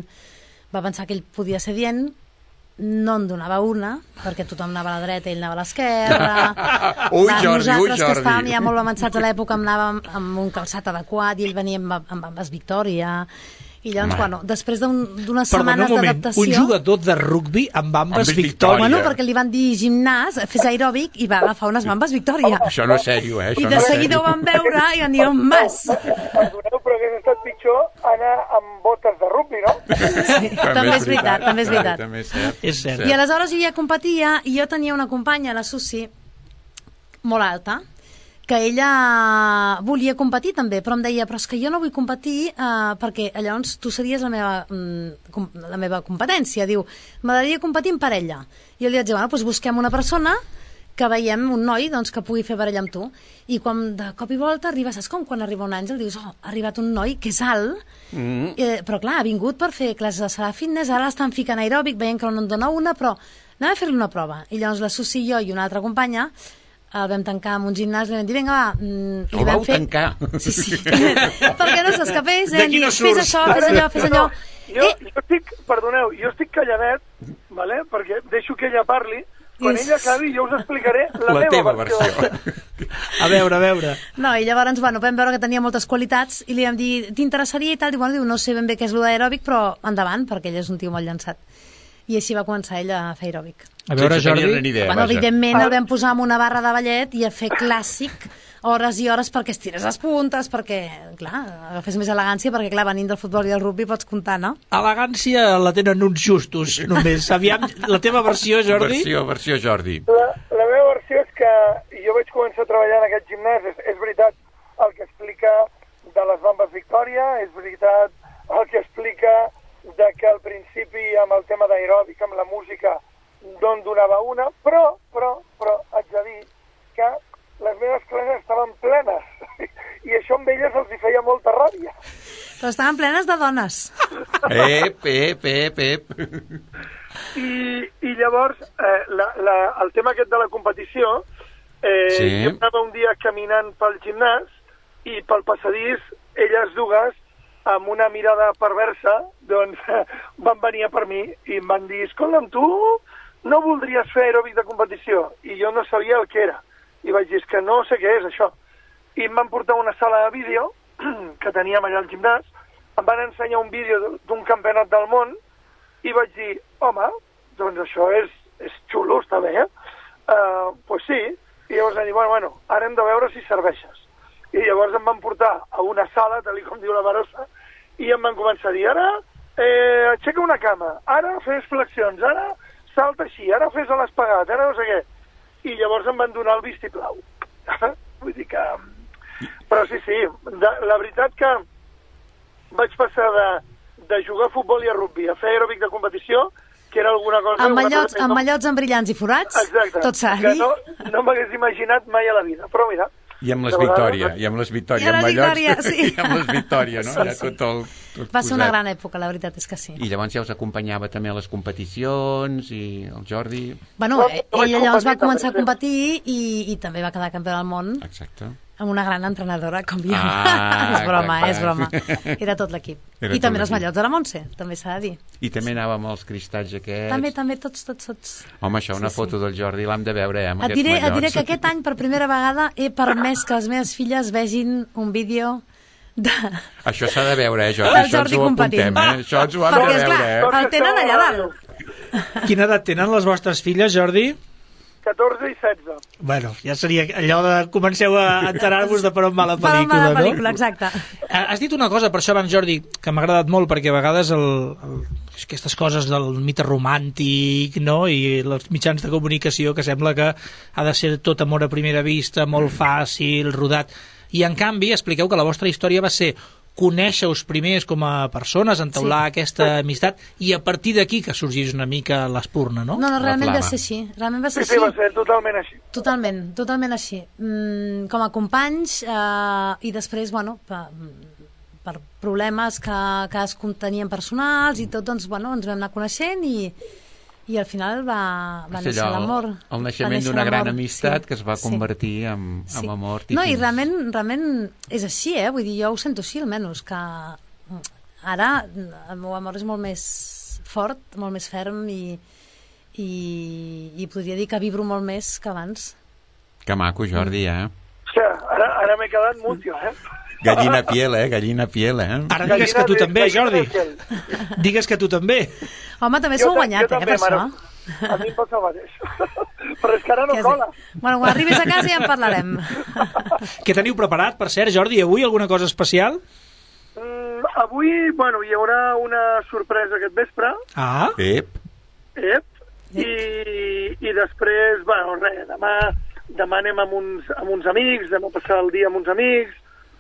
S6: va pensar que ell podia ser dient, no en donava una, perquè tothom anava a la dreta i ell anava a l'esquerra.
S4: Ui,
S6: Va,
S4: Jordi, ui,
S6: nosaltres, que
S4: Jordi.
S6: estàvem ja molt avançats a l'època, anàvem amb un calçat adequat i ell venia amb, amb ambes Victòria. I llavors,
S4: Home.
S6: bueno, després d'un- d'unes
S3: Perdona
S6: setmanes
S3: un moment,
S6: d'adaptació...
S3: un jugador de rugbi amb bambes
S4: Amb
S3: Victòria.
S6: Bueno, perquè li van dir gimnàs, fes aeròbic i va agafar unes bambes Victòria.
S4: Això no és sèrio, eh?
S6: I
S4: Això
S6: de
S4: no és
S6: seguida ho
S4: sèrio.
S6: van veure i van dir, on vas?
S9: Perdoneu, però hagués estat pitjor anar amb botes de rugby, no?
S6: Sí, també és veritat, també és veritat.
S4: També és cert.
S3: És cert.
S6: I aleshores jo ja competia i jo tenia una companya, la Susi, molt alta, que ella volia competir també, però em deia, però és que jo no vull competir eh, perquè llavors tu series la meva, mm, la meva competència. Diu, m'agradaria competir en parella. I jo li vaig dir, bueno, doncs busquem una persona que veiem un noi doncs, que pugui fer parella amb tu. I quan de cop i volta arriba, saps com quan arriba un àngel, dius, oh, ha arribat un noi que és alt, mm. eh, però clar, ha vingut per fer classes de sala fitness, ara l'estan ficant aeròbic, veient que no en dona una, però anem a fer-li una prova. I llavors la Susi i jo i una altra companya el vam tancar en un gimnàs i vam dir, vinga, va... Mm,
S4: el vau fer... tancar?
S6: Sí, sí. Perquè no s'escapés, eh? Dir, no fes això, fes allò, fes allò.
S9: Jo, eh? jo estic, perdoneu, jo estic calladet, vale? Perquè deixo que ella parli, quan ella acabi jo us explicaré la, la meva versió. versió.
S3: A veure, a veure.
S6: No, i llavors, bueno, vam veure que tenia moltes qualitats i li vam dir, t'interessaria i tal? Diu, bueno, diu, no sé ben bé què és lo d'aeròbic, però endavant, perquè ell és un tio molt llançat. I així va començar ella a fer aeròbic.
S3: A veure, Jordi...
S4: Idea,
S6: bueno, evidentment el vam posar en una barra de ballet i a fer clàssic hores i hores perquè estires les puntes, perquè, clar, agafés més elegància, perquè, clar, venint del futbol i del rugby pots comptar, no?
S3: Elegància la tenen uns justos, només. Aviam, la teva versió, Jordi?
S4: Versió, versió, Jordi.
S9: La, la meva versió és que jo vaig començar a treballar en aquest gimnàs, és, és veritat el que explica de les bambes Victòria, és veritat el que explica de que al principi amb el tema d'aeròbic, amb la música, d'on donava una, però, però, però, haig de dir que les meves classes estaven plenes i això amb elles els hi feia molta ràbia.
S6: Però estaven plenes de dones.
S4: Ep, ep, ep, ep.
S9: I, i llavors, eh, la, la, el tema aquest de la competició, eh, sí. Jo anava un dia caminant pel gimnàs i pel passadís, elles dues, amb una mirada perversa, doncs van venir a per mi i em van dir, escolta'm, tu no voldries fer aeròbic de competició? I jo no sabia el que era. I vaig dir, és que no sé què és això. I em van portar a una sala de vídeo que teníem allà al gimnàs, em van ensenyar un vídeo d'un campionat del món i vaig dir, home, doncs això és, és xulo, està bé, eh? Uh, pues sí. I llavors van dir, bueno, bueno, ara hem de veure si serveixes. I llavors em van portar a una sala, tal com diu la Barossa, i em van començar a dir, ara eh, aixeca una cama, ara fes flexions, ara salta així, ara fes a l'espagat, ara no sé què. I llavors em van donar el vistiplau. Vull dir que... Però sí, sí, de, la veritat que vaig passar de, de jugar a futbol i a rugby, a fer aeròbic de competició, que era alguna cosa...
S6: Amb mallots, amb mallots amb brillants i forats?
S9: Exacte.
S6: Tot s'ha de dir.
S9: No, no m'hagués imaginat mai a la vida, però mira...
S4: I amb les Victòria, i amb les Victòria,
S6: amb mallots,
S4: sí. I amb les Victòria, no? Sí, sí. Tot el, tot
S6: va ser una gran època, la veritat és que sí.
S4: I llavors ja us acompanyava també a les competicions, i el Jordi...
S6: Bueno, ella llavors va començar a competir i, i també va quedar campió del món.
S4: Exacte.
S6: Amb una gran entrenadora, com jo.
S4: Ah,
S6: és broma,
S4: clar,
S6: és broma. Era tot l'equip.
S4: Era
S6: I també els mallots de la Montse, també s'ha de dir.
S4: I també anàvem als cristalls aquests.
S6: També, també, tots, tots, tots.
S4: Home, això, una sí, foto sí. del Jordi l'hem de veure, eh, amb
S6: et
S4: aquests
S6: diré,
S4: mallots.
S6: Et diré que aquest any, per primera vegada, he permès que les meves filles vegin un vídeo de...
S4: Això s'ha de veure, eh, Jordi? Això ens ho apuntem, eh? Això ens ho hem
S6: Perquè,
S4: de veure,
S6: esclar,
S4: eh?
S6: el tenen allà dalt.
S3: Quina edat tenen les vostres filles, Jordi?
S9: catorze i setze.
S3: Bueno, ja seria allò de comenceu a enterar-vos de per on va la pel·lícula,
S6: per on va la
S3: no?
S6: pel·lícula, exacte.
S3: Has dit una cosa, per això abans, Jordi, que m'ha agradat molt, perquè a vegades el, el, aquestes coses del mite romàntic, no?, i els mitjans de comunicació, que sembla que ha de ser tot amor a primera vista, molt fàcil, rodat, i en canvi expliqueu que la vostra història va ser conèixer-us primers com a persones, entaular sí. aquesta amistat, i a partir d'aquí que sorgís una mica l'espurna, no?
S6: No, no, realment va ser així. Realment va ser
S9: sí, sí, va ser totalment així.
S6: Totalment, totalment així. Mm, com a companys, eh, i després, bueno, per, per problemes que cadascun tenien personals i tot, doncs, bueno, ens vam anar coneixent i, i al final va, va néixer l'amor.
S4: El naixement d'una gran amistat sí, que es va convertir sí. en, en sí. amor.
S6: No, i realment, realment és així, eh? Vull dir, jo ho sento així, almenys, que ara el meu amor és molt més fort, molt més ferm i, i, i podria dir que vibro molt més que abans.
S4: Que maco, Jordi, eh?
S9: Hòstia, ara, ara m'he quedat mútil, eh?
S4: Gallina piel, eh? Gallina piel, eh?
S3: Ara digues que tu també, Jordi. Digues que tu també.
S6: Home, també s'ho ha guanyat, eh, per això.
S9: A mi em passa el mateix. Però és que ara no cola.
S6: Bueno, quan arribis a casa ja en parlarem.
S3: Què teniu preparat, per cert, Jordi? Avui alguna cosa especial?
S9: Mm, avui, bueno, hi haurà una sorpresa aquest vespre.
S3: Ah.
S4: Ep.
S9: Ep. I, i després, bueno, res, demà demà anem amb uns, amb uns amics, demà passar el dia amb uns amics,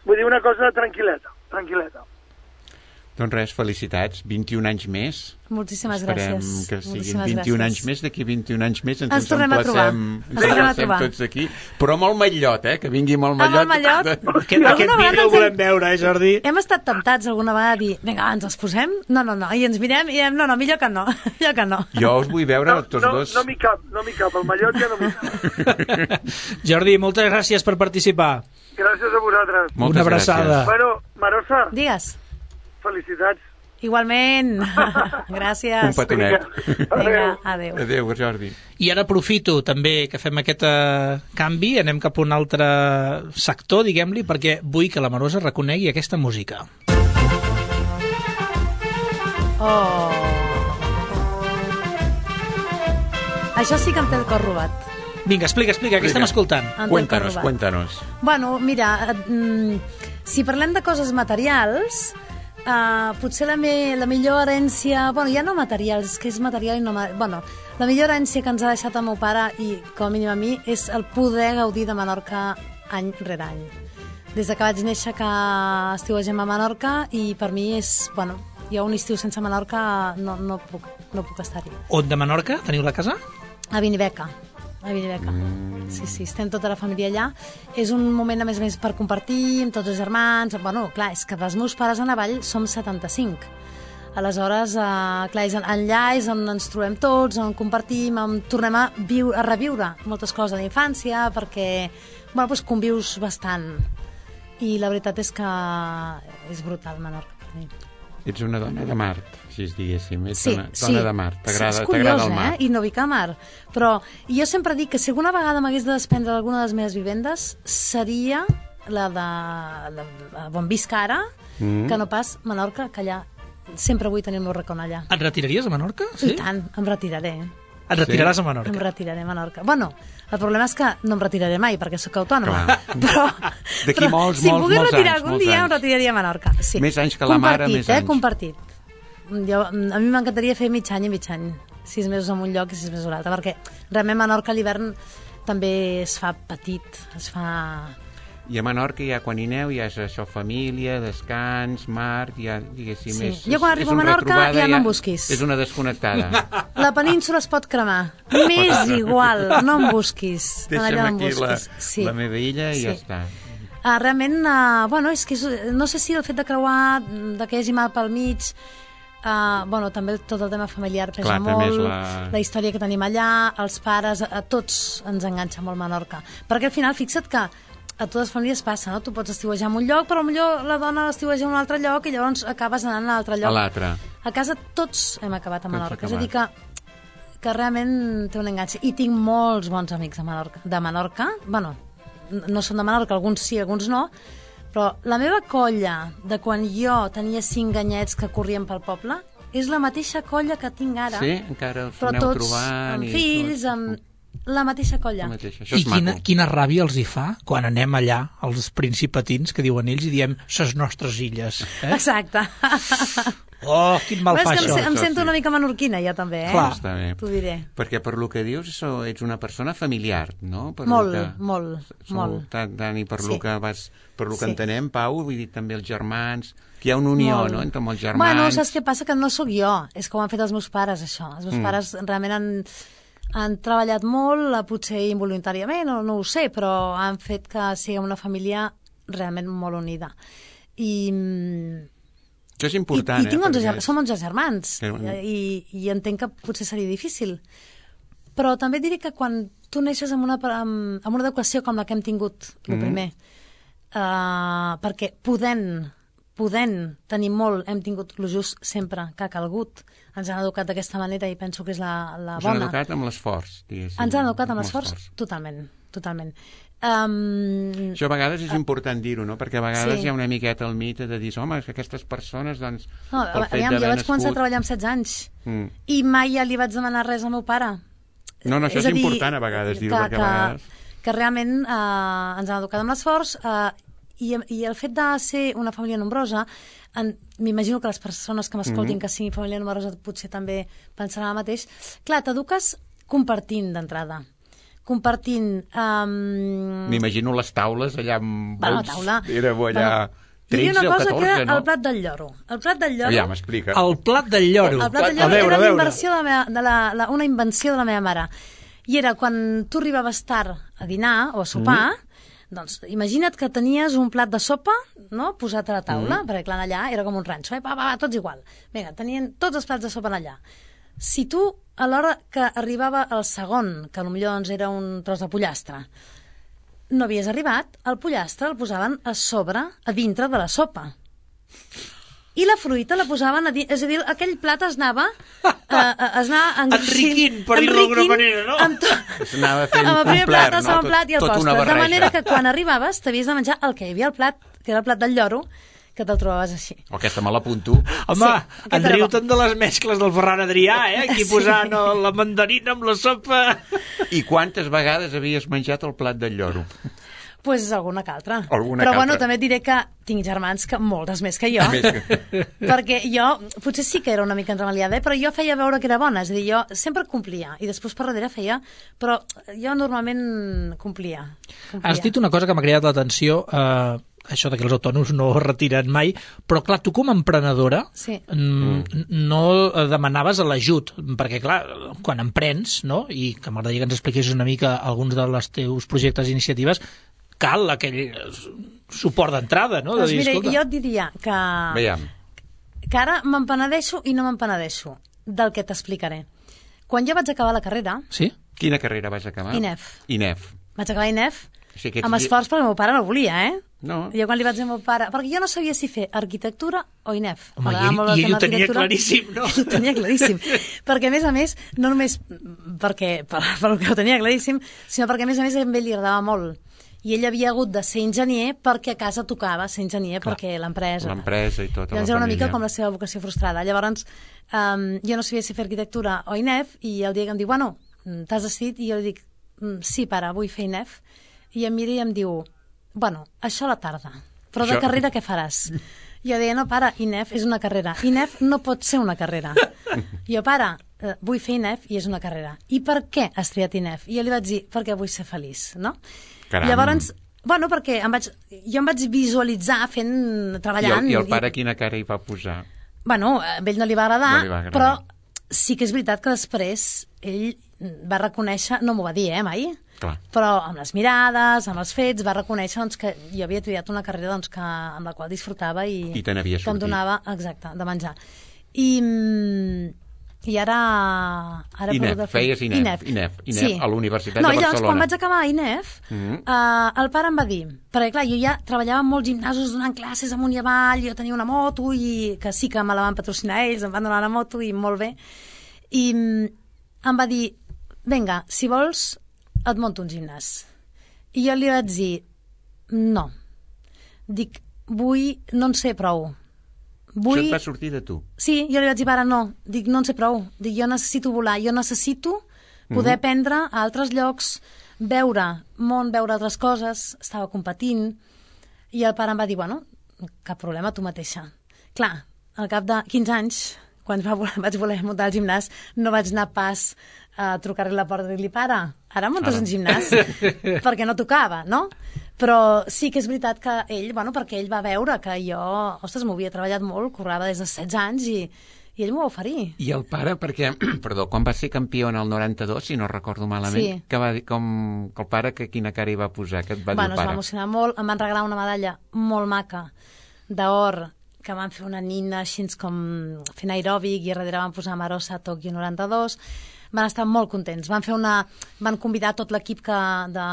S9: vull dir una cosa tranquil·leta, tranquil·leta.
S4: Doncs res, felicitats, vint-i-un anys més.
S6: Moltíssimes
S4: Esperem
S6: gràcies.
S4: que siguin
S6: Moltíssimes
S4: vint-i-un
S6: gràcies.
S4: anys més, d'aquí vint-i-un anys més ens,
S6: Ens tornem a trobar.
S4: ens
S6: Ens tornem a
S4: emplacem
S6: trobar.
S4: tots aquí, però amb el mallot, eh? Que vingui amb el
S6: Amb el
S4: mallot.
S6: mallot?
S3: Aquest,
S6: Alguna
S3: aquest
S6: vegada
S3: vídeo el
S6: ens
S3: volem
S6: hem-
S3: veure, eh, Jordi?
S6: Hem estat temptats alguna vegada a dir, vinga, va, ens els posem? No, no, no. I ens mirem i diem, no, no, millor que no. millor que no.
S4: Jo us vull veure
S9: No,
S4: tots
S9: no,
S4: dos.
S9: no m'hi cap, no m'hi cap, el mallot ja no m'hi cap.
S3: Jordi, moltes gràcies per participar.
S9: Gràcies a vosaltres.
S4: Moltes
S3: Una abraçada.
S4: gràcies.
S9: Bueno, Marosa,
S6: Digues.
S9: felicitats.
S6: Igualment. Gràcies.
S4: Un petonet.
S6: Vinga, adéu.
S4: Adéu, Jordi.
S3: I ara aprofito també que fem aquest eh, canvi, anem cap a un altre sector, diguem-li, perquè vull que la Marosa reconegui aquesta música.
S6: Oh. Això sí que em té el cor robat.
S3: Vinga, explica, explica, què estem escoltant?
S6: Em té el cor
S4: Cuéntanos,
S6: robat.
S4: cuéntanos.
S6: Bueno, mira, eh, mm, si parlem de coses materials, eh, potser la, me, la millor herència... Bueno, ja no materials, que és material i no... ma- Bueno, la millor herència que ens ha deixat el meu pare, i com a mínim a mi, és el poder gaudir de Menorca any rere any. Des de que vaig néixer que estiuegem a Menorca, i per mi és... Bueno, jo un estiu sense Menorca no, no puc, no puc estar-hi.
S3: On de Menorca? Teniu la casa?
S6: A Vinibeca. A Vinibeca. Mm. Sí, sí, estem tota la família allà. És un moment, a més a més, per compartir amb tots els germans. Bueno, clar, és que dels meus pares a Navall som setanta-cinc. Aleshores, eh, clar, és allà és on ens trobem tots, on compartim, on tornem a, viu, a reviure moltes coses de la infància, perquè, bueno, doncs convius bastant. I la veritat és que és brutal, Menorca. per mi.
S4: Ets una dona de Mart, si es diguéssim. Ets
S6: Sí,
S4: una
S6: sí.
S4: dona de Mart. T'agrada
S6: Sí, és
S4: t'agrada
S6: curiós,
S4: el mar.
S6: eh? I no vic a mar. Però jo sempre dic que si alguna vegada m'hagués de desprendre alguna de les meves vivendes seria la de, de, de on visc ara,
S4: Mm.
S6: que no pas Menorca, que allà sempre vull tenir el meu racó allà.
S3: Et retiraries a Menorca?
S6: I tant, em retiraré.
S3: Et retiraràs a
S6: Em
S3: Menorca.
S6: retiraré a Menorca. Bueno, el problema és que no em retiraré mai, perquè sóc autònoma.
S4: Clar.
S6: Però,
S4: D'aquí
S6: però
S4: molts,
S6: si em
S4: molts,
S6: pogués
S4: molts
S6: retirar
S4: anys,
S6: algun
S4: molts
S6: dia, em
S4: anys.
S6: retiraria a Menorca. Sí.
S4: Més anys que la mare,
S6: Compartit,
S4: més
S6: eh?
S4: anys.
S6: Compartit. Jo, a mi m'encantaria fer mig any i mig any. Sis mesos en un lloc i sis mesos a l'altre, perquè realment Menorca a l'hivern també es fa petit, es fa...
S4: I a Menorca ja quan hi aneu ja és això, família, descans, mar, ja diguéssim...
S6: Sí.
S4: És,
S6: Jo quan
S4: és-
S6: arribo
S4: és un
S6: a Menorca
S4: retrobada,
S6: ja no em busquis.
S4: És una desconnectada.
S6: La península es pot cremar. M'és igual, no em busquis.
S4: Deixa'm
S6: Allà no em
S4: aquí la,
S6: busquis. Sí.
S4: la meva illa i
S6: Sí.
S4: ja està.
S6: Uh, realment, uh, bueno, és que és, no sé si el fet de creuar, de que hi hagi mar pel mig, uh, bueno, també tot el tema familiar pesa
S4: Clar, també és
S6: molt,
S4: la-
S6: la història que tenim allà, els pares, a, a tots ens enganxa molt Menorca. Perquè al final, fixa't que a totes les famílies passa, no? Tu pots estiuejar en un lloc, però potser la dona estiueja en un altre lloc i llavors acabes anant a un altre lloc.
S4: A l'altre.
S6: A casa tots hem acabat a
S4: Tots
S6: Menorca. És a
S4: acabat.
S6: dir que, que realment té un enganx. I tinc molts bons amics a Menorca. De Menorca, bueno, n- no són de Menorca, alguns sí, alguns no, però la meva colla de quan jo tenia cinc anyets que corrien pel poble és la mateixa colla que tinc ara.
S4: Sí? Encara els
S6: Però
S4: aneu
S6: tots
S4: trobant...
S6: amb
S4: i
S6: fills,
S4: tot.
S6: amb la mateixa colla.
S4: La mateixa. Això
S3: I
S4: és
S3: quina,
S4: maco.
S3: quina ràbia els hi fa quan anem allà, als principatins, que diuen ells, i diem, ses nostres illes. Eh?
S6: Exacte.
S3: Oh, quin mal
S6: Però
S3: fa
S6: és que em,
S3: això.
S6: se- em
S4: Això
S6: sento
S4: sí.
S6: una mica menorquina, jo també, eh?
S3: Clar.
S4: Està bé.
S6: T'ho diré.
S4: Perquè per lo que dius això, ets una persona familiar, no? Per
S6: Molt,
S4: lo que...
S6: molt,
S4: Sou
S6: molt.
S4: Tant, tant, i per
S6: Sí.
S4: lo que vas, per lo que
S6: Sí.
S4: entenem, Pau, vull dir també els germans, que hi ha una unió,
S6: Molt.
S4: no?, entre molts germans.
S6: Bueno, saps què passa? Que no sóc jo, és que ho han fet els meus pares, això. Els meus
S4: Mm.
S6: pares realment han, han treballat molt, eh, potser involuntàriament, no, no ho sé, però han fet que siguem una família realment molt unida. I, mm,
S4: Això és
S6: i,
S4: important,
S6: i tinc
S4: eh?
S6: onze,
S4: perquè-
S6: ger- som onze germans,
S4: Que-
S6: i, i entenc que potser seria difícil. Però també et diré que quan tu neixes amb una, amb, amb una educació com la que hem tingut, el
S4: Mm.
S6: primer, uh, perquè podent, podent tenir molt, hem tingut el just sempre que ha calgut. Ens han educat d'aquesta manera i penso que és la, la
S4: Us han
S6: bona.
S4: educat amb l'esforç, diguéssim.
S6: Ens han educat amb l'esforç? Totalment, totalment. Um,
S4: Això a vegades és important dir-ho, no? Perquè a vegades
S6: Sí.
S4: hi ha una miqueta el mite de dir, home, és que aquestes persones, doncs,
S6: no,
S4: pel fet
S6: aviam, jo
S4: d'haver
S6: vaig començar a
S4: nascut...
S6: treballar amb setze anys
S4: Mm.
S6: i mai ja li vaig demanar res al meu pare.
S4: No, no, això és,
S6: a dir,
S4: important a vegades dir-ho,
S6: que,
S4: perquè
S6: que,
S4: a vegades...
S6: que realment eh, ens han educat amb l'esforç eh, i, i el fet de ser una família nombrosa, en- m'imagino que les persones que m'escoltin
S4: Mhm.
S6: que siguin família nombrosa potser també pensaran el mateix. Clar, t'eduques compartint d'entrada. compartint... Um...
S4: M'imagino les taules allà amb...
S6: Bueno, taula...
S4: Éreu allà...
S6: Bueno,
S4: tretze o catorze,
S6: que
S4: no?
S6: El plat del lloro. El plat del lloro...
S4: Ja, m'explica.
S3: El plat del lloro.
S6: El plat del lloro era una inversió de la meva, de la, la, una invenció de la meva mare. I era quan tu arribaves tard a dinar o a sopar, mm. doncs imagina't que tenies un plat de sopa, no?, posat a la taula, mm. perquè clar, allà era com un ranxo, eh? va, va, va, tots igual. Vinga, tenien tots els plats de sopa allà. Si tu, a l'hora que arribava el segon, que potser doncs era un tros de pollastre, no havies arribat, el pollastre el posaven a sobre, a dintre de la sopa. I la fruita la posaven a dintre, és a dir, aquell plat es anava, eh, es anava
S3: enriquint, per dir-ho d'alguna manera, no?
S6: Amb to...
S4: Es anava fent
S6: amb el primer
S4: un plat,
S6: plat, el
S4: no?
S6: segon plat i el
S4: tot, tot
S6: postre. De manera que quan arribaves t'havies de menjar el que hi havia al plat, que era el plat del lloro, que te'l trobaves així.
S4: O aquesta me l'apunto.
S3: Home,
S6: Sí,
S3: en riu tant de les mescles del Ferran Adrià, eh? Aquí
S6: Sí.
S3: posant la mandarina amb la sopa.
S4: I quantes vegades havies menjat el plat del lloro?
S6: Pues alguna que altra.
S4: Alguna
S6: Però
S4: que
S6: bueno,
S4: altra.
S6: també et diré que tinc germans que moltes més que jo.
S4: Més que...
S6: Perquè jo, potser sí que era una mica enremaliada, eh? Però jo feia veure que era bona, és a dir, jo sempre complia, i després per darrere feia, però jo normalment complia. complia.
S3: Has dit una cosa que m'ha cridat l'atenció, eh, això de que els autònoms no es retiren mai, però clar, tu com a emprenedora
S6: Sí.
S3: mm, no demanaves l'ajut, perquè clar, quan emprens, no?, i que m'agradaria que ens expliquessis una mica alguns dels teus projectes i iniciatives, cal aquell suport d'entrada, no? De
S6: Doncs
S3: dir,
S6: mira,
S3: escolta...
S6: jo et diria que,
S4: Veiem.
S6: que ara m'empenedeixo i no m'empenedeixo del que t'explicaré. Quan jo vaig acabar la carrera,
S3: Sí?
S4: Quina carrera vas acabar?
S6: I N E F.
S4: I N E F.
S6: vaig acabar I N E F,
S4: Sí, aquests
S6: amb
S4: dies-
S6: esforç perquè el meu pare no volia, eh?
S4: No.
S6: Jo quan li vaig dir al meu pare... Perquè jo no sabia si fer arquitectura o I N E F.
S3: Home,
S6: M'agradava
S3: i ell-
S6: molt el
S3: i ell
S6: tema
S3: ho tenia
S6: arquitectura.
S3: claríssim, no?
S6: Ell ho tenia claríssim. Perquè, a més a més, no només perquè, per, per el que ho tenia claríssim, sinó perquè, a més a més, a ell li agradava molt. I ell havia hagut de ser enginyer perquè a casa tocava ser enginyer,
S3: Clar.
S6: perquè l'empresa...
S4: L'empresa i tota
S6: Llavors
S4: la
S6: era una
S4: família.
S6: mica com la seva vocació frustrada. Llavors, um, jo no sabia si fer arquitectura o I N E F, i el dia que em diu, bueno, t'has decidit? I jo li dic, sí, pare, vull fer I N E F. I em mira i em diu, bueno, això a la tarda, però de
S4: Això-
S6: carrera què faràs? Jo deia, no, pare, I N E F és una carrera. I N E F no pot ser una carrera. Jo, pare, eh, vull fer I N E F i és una carrera. I per què has triat I N E F? I jo li vaig dir, perquè vull ser feliç, no?
S4: Caram.
S6: Llavors, bueno, perquè em vaig, jo em vaig visualitzar fent,
S4: I el,
S6: treballant...
S4: I el pare quina cara hi va posar?
S6: Bueno, a ell no li va agradar,
S4: No li va agradar.
S6: però sí que és veritat que després ell va reconèixer, no m'ho va dir, eh, mai,
S4: Clar.
S6: però amb les mirades, amb els fets, va reconèixer doncs, que jo havia triat una carrera doncs, que, amb la qual disfrutava i,
S4: I te n'havies
S6: que em
S4: sortit.
S6: donava, exacte, de menjar. I, mm, i ara... ara he
S4: I N E F,
S6: perdut el fil.
S4: feies I N E F, I N E F, I N E F, a la Universitat
S6: no,
S4: de
S6: i llavors,
S4: Barcelona.
S6: quan vaig acabar I N E F,
S4: Mhm.
S6: eh, el pare em va dir, perquè clar, jo ja treballava en molts gimnasos donant classes amunt i avall, jo tenia una moto, i que sí que me la van patrocinar ells, em van donar la moto i molt bé, i mm, em va dir, vinga, si vols, et monto un gimnàs. I jo li vaig dir, no. Dic, vull, no en sé prou. Vull...
S4: Això et va sortir de tu.
S6: Sí, jo li vaig dir, pare, no. Dic, no en sé prou. Dic, jo necessito volar. Jo necessito poder
S4: Mhm.
S6: aprendre a altres llocs, veure món, veure altres coses. Estava competint. I el pare em va dir, bueno, cap problema, tu mateixa. Clar, al cap de quinze anys, quan va voler, vaig voler muntar el gimnàs, no vaig anar pas a trucar-li a la porta i dir-li, pare, ara muntes
S4: Ara.
S6: un gimnàs? Perquè no tocava, no? Però sí que és veritat que ell, bueno, perquè ell va veure que jo, ostres, m'ho havia treballat molt, corrava des de setze anys i, i ell m'ho va oferir.
S4: I el pare, perquè, perdó, quan va ser campió en el noranta-dos, si no recordo malament,
S6: Sí.
S4: que va dir, com, que el pare, que quina cara hi va posar, que et va
S6: Bueno,
S4: dir
S6: es
S4: el
S6: va
S4: pare?
S6: emocionar molt, em van regalar una medalla molt maca d'or, que van fer una nina així com fent aeròbic i a darrere van posar Marosa Tòquio noranta-dos. Van estar molt contents. Van fer una... van convidar tot l'equip que de,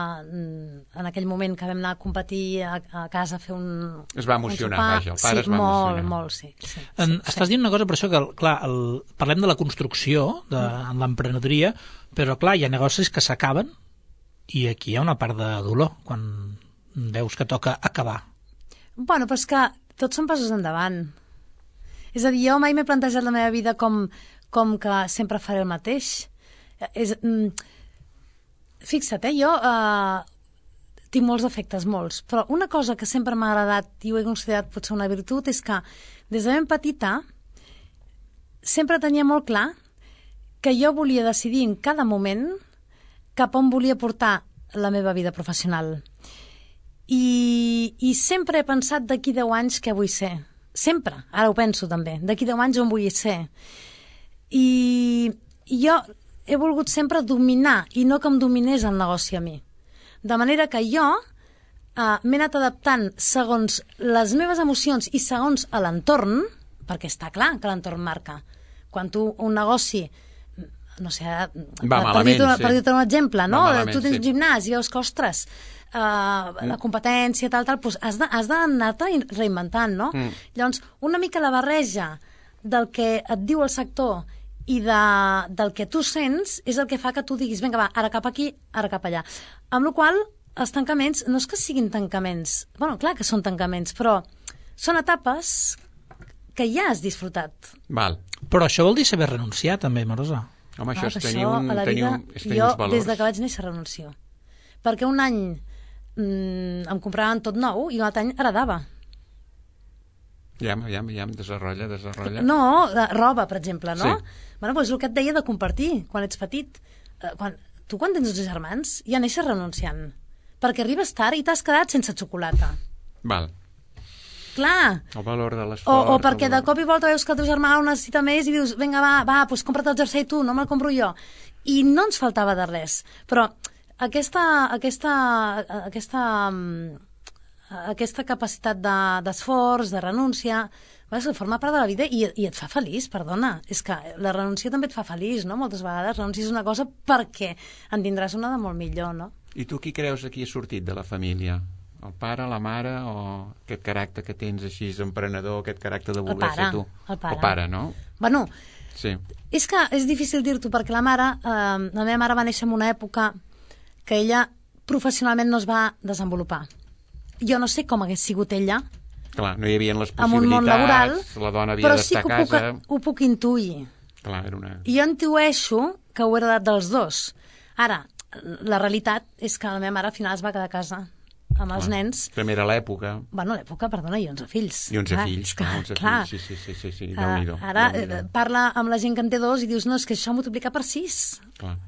S6: en aquell moment que vam anar a competir a, a casa a fer un...
S4: Es va emocionar,
S6: un sopar.
S4: vaja, el pare
S6: sí,
S4: es va
S6: molt,
S4: emocionar.
S6: molt, sí. sí,
S3: En,
S6: sí,
S3: estàs dient una cosa, per això que, clar, el, parlem de la construcció, de en l'emprenedoria, però clar, hi ha negocis que s'acaben i aquí hi ha una part de dolor, quan veus que toca acabar.
S6: Bueno, però és que tots són passos endavant. És a dir, jo mai m'he plantejat la meva vida com, com que sempre faré el mateix. És, mm, fixa't, eh, jo eh, tinc molts defectes, molts, però una cosa que sempre m'ha agradat i ho he considerat potser una virtut és que des de ben petita sempre tenia molt clar que jo volia decidir en cada moment cap on volia portar la meva vida professional. I, i sempre he pensat d'aquí deu anys què vull ser. Sempre, ara ho penso també, d'aquí deu anys on vull ser. I, i jo he volgut sempre dominar i no que em dominés el negoci a mi. De manera que jo uh, m'he anat adaptant segons les meves emocions i segons a l'entorn, perquè està clar que l'entorn marca. Quan tu un negoci, no sé,
S4: Va
S6: per,
S4: malament,
S6: dir-te,
S4: sí.
S6: per dir-te un exemple, no?
S4: malament,
S6: Tu tens
S4: sí.
S6: un gimnàs i veus que, ostres, uh, la competència, tal, tal, doncs has de, has d'anar-te reinventant, no?
S4: Mm.
S6: Llavors, una mica la barreja del que et diu el sector i de, del que tu sents és el que fa que tu diguis, vinga, va, ara cap aquí, ara cap allà. Amb la qual cosa, els tancaments no és que siguin tancaments, bueno, clar que són tancaments, però són etapes que ja has disfrutat.
S4: Val.
S3: Però això vol dir saber renunciar, també, Marosa.
S4: Home, això
S6: Ah,
S4: és
S6: que
S4: tenir,
S6: això,
S4: un,
S6: a la
S4: tenir,
S6: vida,
S4: un, és tenir
S6: jo,
S4: uns valors.
S6: des de que vaig néixer, renuncio. Perquè un any mm, em compraven tot nou i un altre any heredava.
S4: Ja, ja, ja, desenrotlla, desenrotlla.
S6: No, de roba, per exemple, no?
S4: Sí.
S6: Bueno, doncs el que et deia de compartir quan ets petit. Eh, quan, tu quan tens dotze germans ja neixes renunciant. Perquè arribes tard i t'has quedat sense xocolata.
S4: Val.
S6: Clar.
S4: El valor de
S6: O,
S4: l'esforç.
S6: o perquè
S4: el
S6: de
S4: valor-
S6: cop i volta veus que el teu germà ho necessita més i dius, vinga, va, va, doncs compra't el jersei tu, no me'l compro jo. I no ens faltava de res. Però aquesta, aquesta, aquesta, mm, aquesta capacitat de, d'esforç, de renúncia, vas, forma part de la vida i, i et fa feliç, perdona. És que la renúncia també et fa feliç, no? Moltes vegades renuncies una cosa perquè en tindràs una de molt millor, no?
S4: I tu qui creus aquí ha sortit de la família? El pare, la mare o aquest caràcter que tens així emprenedor, aquest caràcter de voler
S6: pare,
S4: ser tu?
S6: el pare.
S4: El pare, no?
S6: Bueno,
S4: Sí.
S6: és que és difícil dir-t'ho perquè la mare, eh, la meva mare va néixer en una època que ella professionalment no es va desenvolupar. Jo no sé com hagués sigut ella
S4: Clar, no hi havia les
S6: en un món laboral,
S4: possibilitats, la dona havia
S6: però
S4: d'estar
S6: sí que
S4: a
S6: ho puc,
S4: casa...
S6: ho puc intuir.
S4: Clar, era una...
S6: I jo intueixo que ho he heredat dels dos. Ara, la realitat és que la meva mare al final es va quedar a casa amb els
S4: Clar.
S6: nens.
S4: També era l'època.
S6: Bueno, l'època, perdona, i onze fills.
S4: I onze
S6: Clar,
S4: fills,
S6: és que,
S4: clar, onze
S6: clar.
S4: fills, sí, sí, sí, sí, sí,
S6: Uh,
S4: Déu-n'hi-do.
S6: ara
S4: Déu-n'hi-do.
S6: eh, parla amb la gent que en té dos i dius, no, és que això multiplica per sis.
S4: Clar.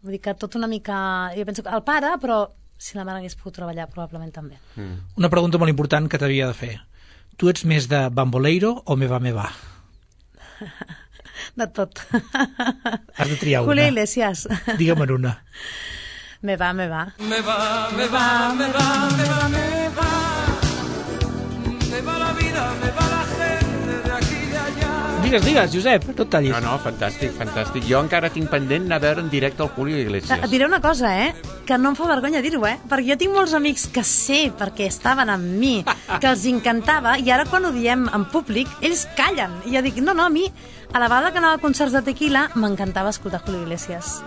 S6: Vull dir que tot una mica... Jo penso que el pare, però si la mare hagués pogut treballar, probablement també.
S4: Mm.
S3: Una pregunta molt important que t'havia de fer. Tu ets més de Bamboleiro o Me va, me va?
S6: De tot.
S3: Has de triar una.
S6: Julio Iglesias.
S3: Digue'm una.
S6: Me va, me va.
S10: Me va, me va, me va, me va, me va. Me va la vida, me va la gente de aquí y de allá.
S3: Digues, digues, Josep, no et tallis.
S4: No, no, fantàstic, fantàstic. Jo encara tinc pendent anar a veure en directe el Julio Iglesias.
S6: Et diré una cosa, eh? Que no em fa vergonya dir-ho, eh? Perquè jo tinc molts amics que sé, perquè estaven amb mi, que els encantava, i ara quan ho diem en públic, ells callen. I jo dic, no, no, a mi, a la vegada que anava a concerts de tequila, m'encantava escoltar Julio Iglesias.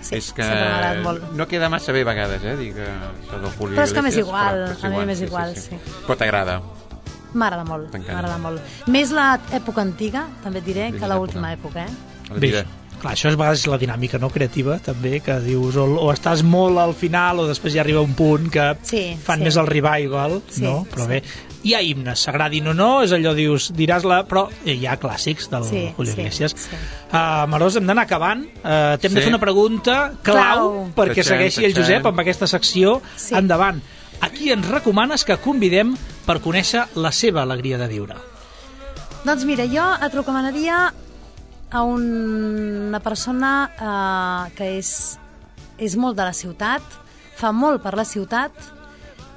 S6: Sí,
S4: és que
S6: sempre m'ha agradat molt.
S4: no queda massa bé a vegades, eh, dir que això del Julio
S6: Però és que m'és
S4: Iglesias,
S6: igual,
S4: però és
S6: a mi m'és igual, sí.
S4: Però t'agrada.
S6: M'agrada molt,
S4: T'encanta.
S6: m'agrada molt. Més l'època antiga, també et diré,
S4: Més
S6: que l'última època, eh?
S4: La
S3: Bé,
S4: vida.
S3: clar, això és a vegades la dinàmica no creativa, també, que dius o, o estàs molt al final o després ja arriba un punt que
S6: Sí,
S3: fan
S6: sí.
S3: més el revival,
S6: Sí,
S3: no? Però
S6: sí.
S3: bé, hi ha himnes, s'agradin o no, és allò, dius, diràs-la, però hi ha clàssics del
S6: Sí,
S3: Julio
S6: sí,
S3: Iglesias.
S6: sí.
S3: Uh, Marós, hem d'anar acabant. Uh, T'hem
S4: Sí.
S3: de fer una pregunta clau,
S6: Clau.
S3: perquè
S4: Tachem,
S3: segueixi el
S4: tachem.
S3: Josep amb aquesta secció.
S6: Sí.
S3: Endavant. A qui ens recomanes que convidem per conèixer la seva alegria de viure?
S6: Doncs mira, jo et recomanaria a un, una persona eh, que és, és molt de la ciutat, fa molt per la ciutat,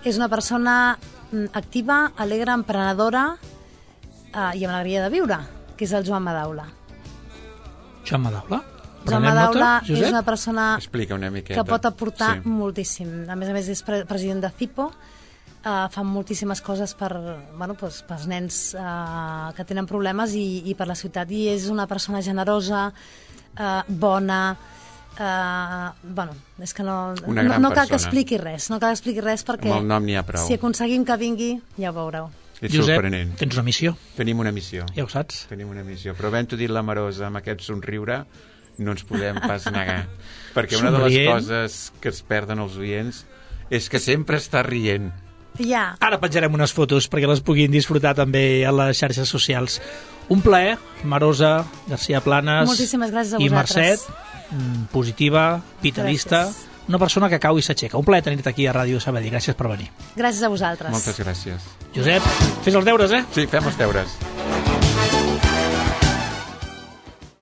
S6: és una persona mm, activa, alegre, emprenedora eh, i amb alegria de viure, que és el Joan Madaula.
S3: Joan Madaula?
S6: Joan
S3: Prenem
S6: Madaula
S3: nota,
S6: és
S3: Josep?
S6: una persona
S4: Explica una miqueta.
S6: que pot aportar
S4: Sí.
S6: moltíssim. A més a més és pre president de Cipo, uh, fan moltíssimes coses per, bueno, pues, pels nens uh, que tenen problemes i, i per la ciutat. I és una persona generosa, uh, bona, uh, bueno, és que no,
S4: Una
S6: no,
S4: gran
S6: no cal que
S4: persona.
S6: expliqui res, no cal que expliqui res perquè
S4: Amb el nom n'hi ha prou.
S6: si aconseguim que vingui, ja ho veureu.
S4: És
S3: Josep,
S4: sorprenent.
S3: tens una missió,
S4: Tenim una missió.
S3: ja ho saps.
S4: Tenim una missió. Però havent-ho dit la Marosa amb aquest somriure, no ens podem pas negar. Perquè una de les
S3: Somrient.
S4: coses que es perden els oients és que sempre està rient.
S6: Ja,
S3: Ara penjarem unes fotos perquè les puguin disfrutar també a les xarxes socials. Un plaer, Marosa, García Planes
S6: moltíssimes gràcies a
S3: i
S6: vosaltres.
S3: Mercè. mm, positiva, vitalista,
S6: Gràcies.
S3: una persona que cau i s'aixeca. Un plaer tenir-te aquí a Ràdio Sabadell. Gràcies per venir.
S6: Gràcies a vosaltres.
S4: Moltes gràcies.
S3: Josep, fes els deures, eh?
S4: Sí, fem els deures.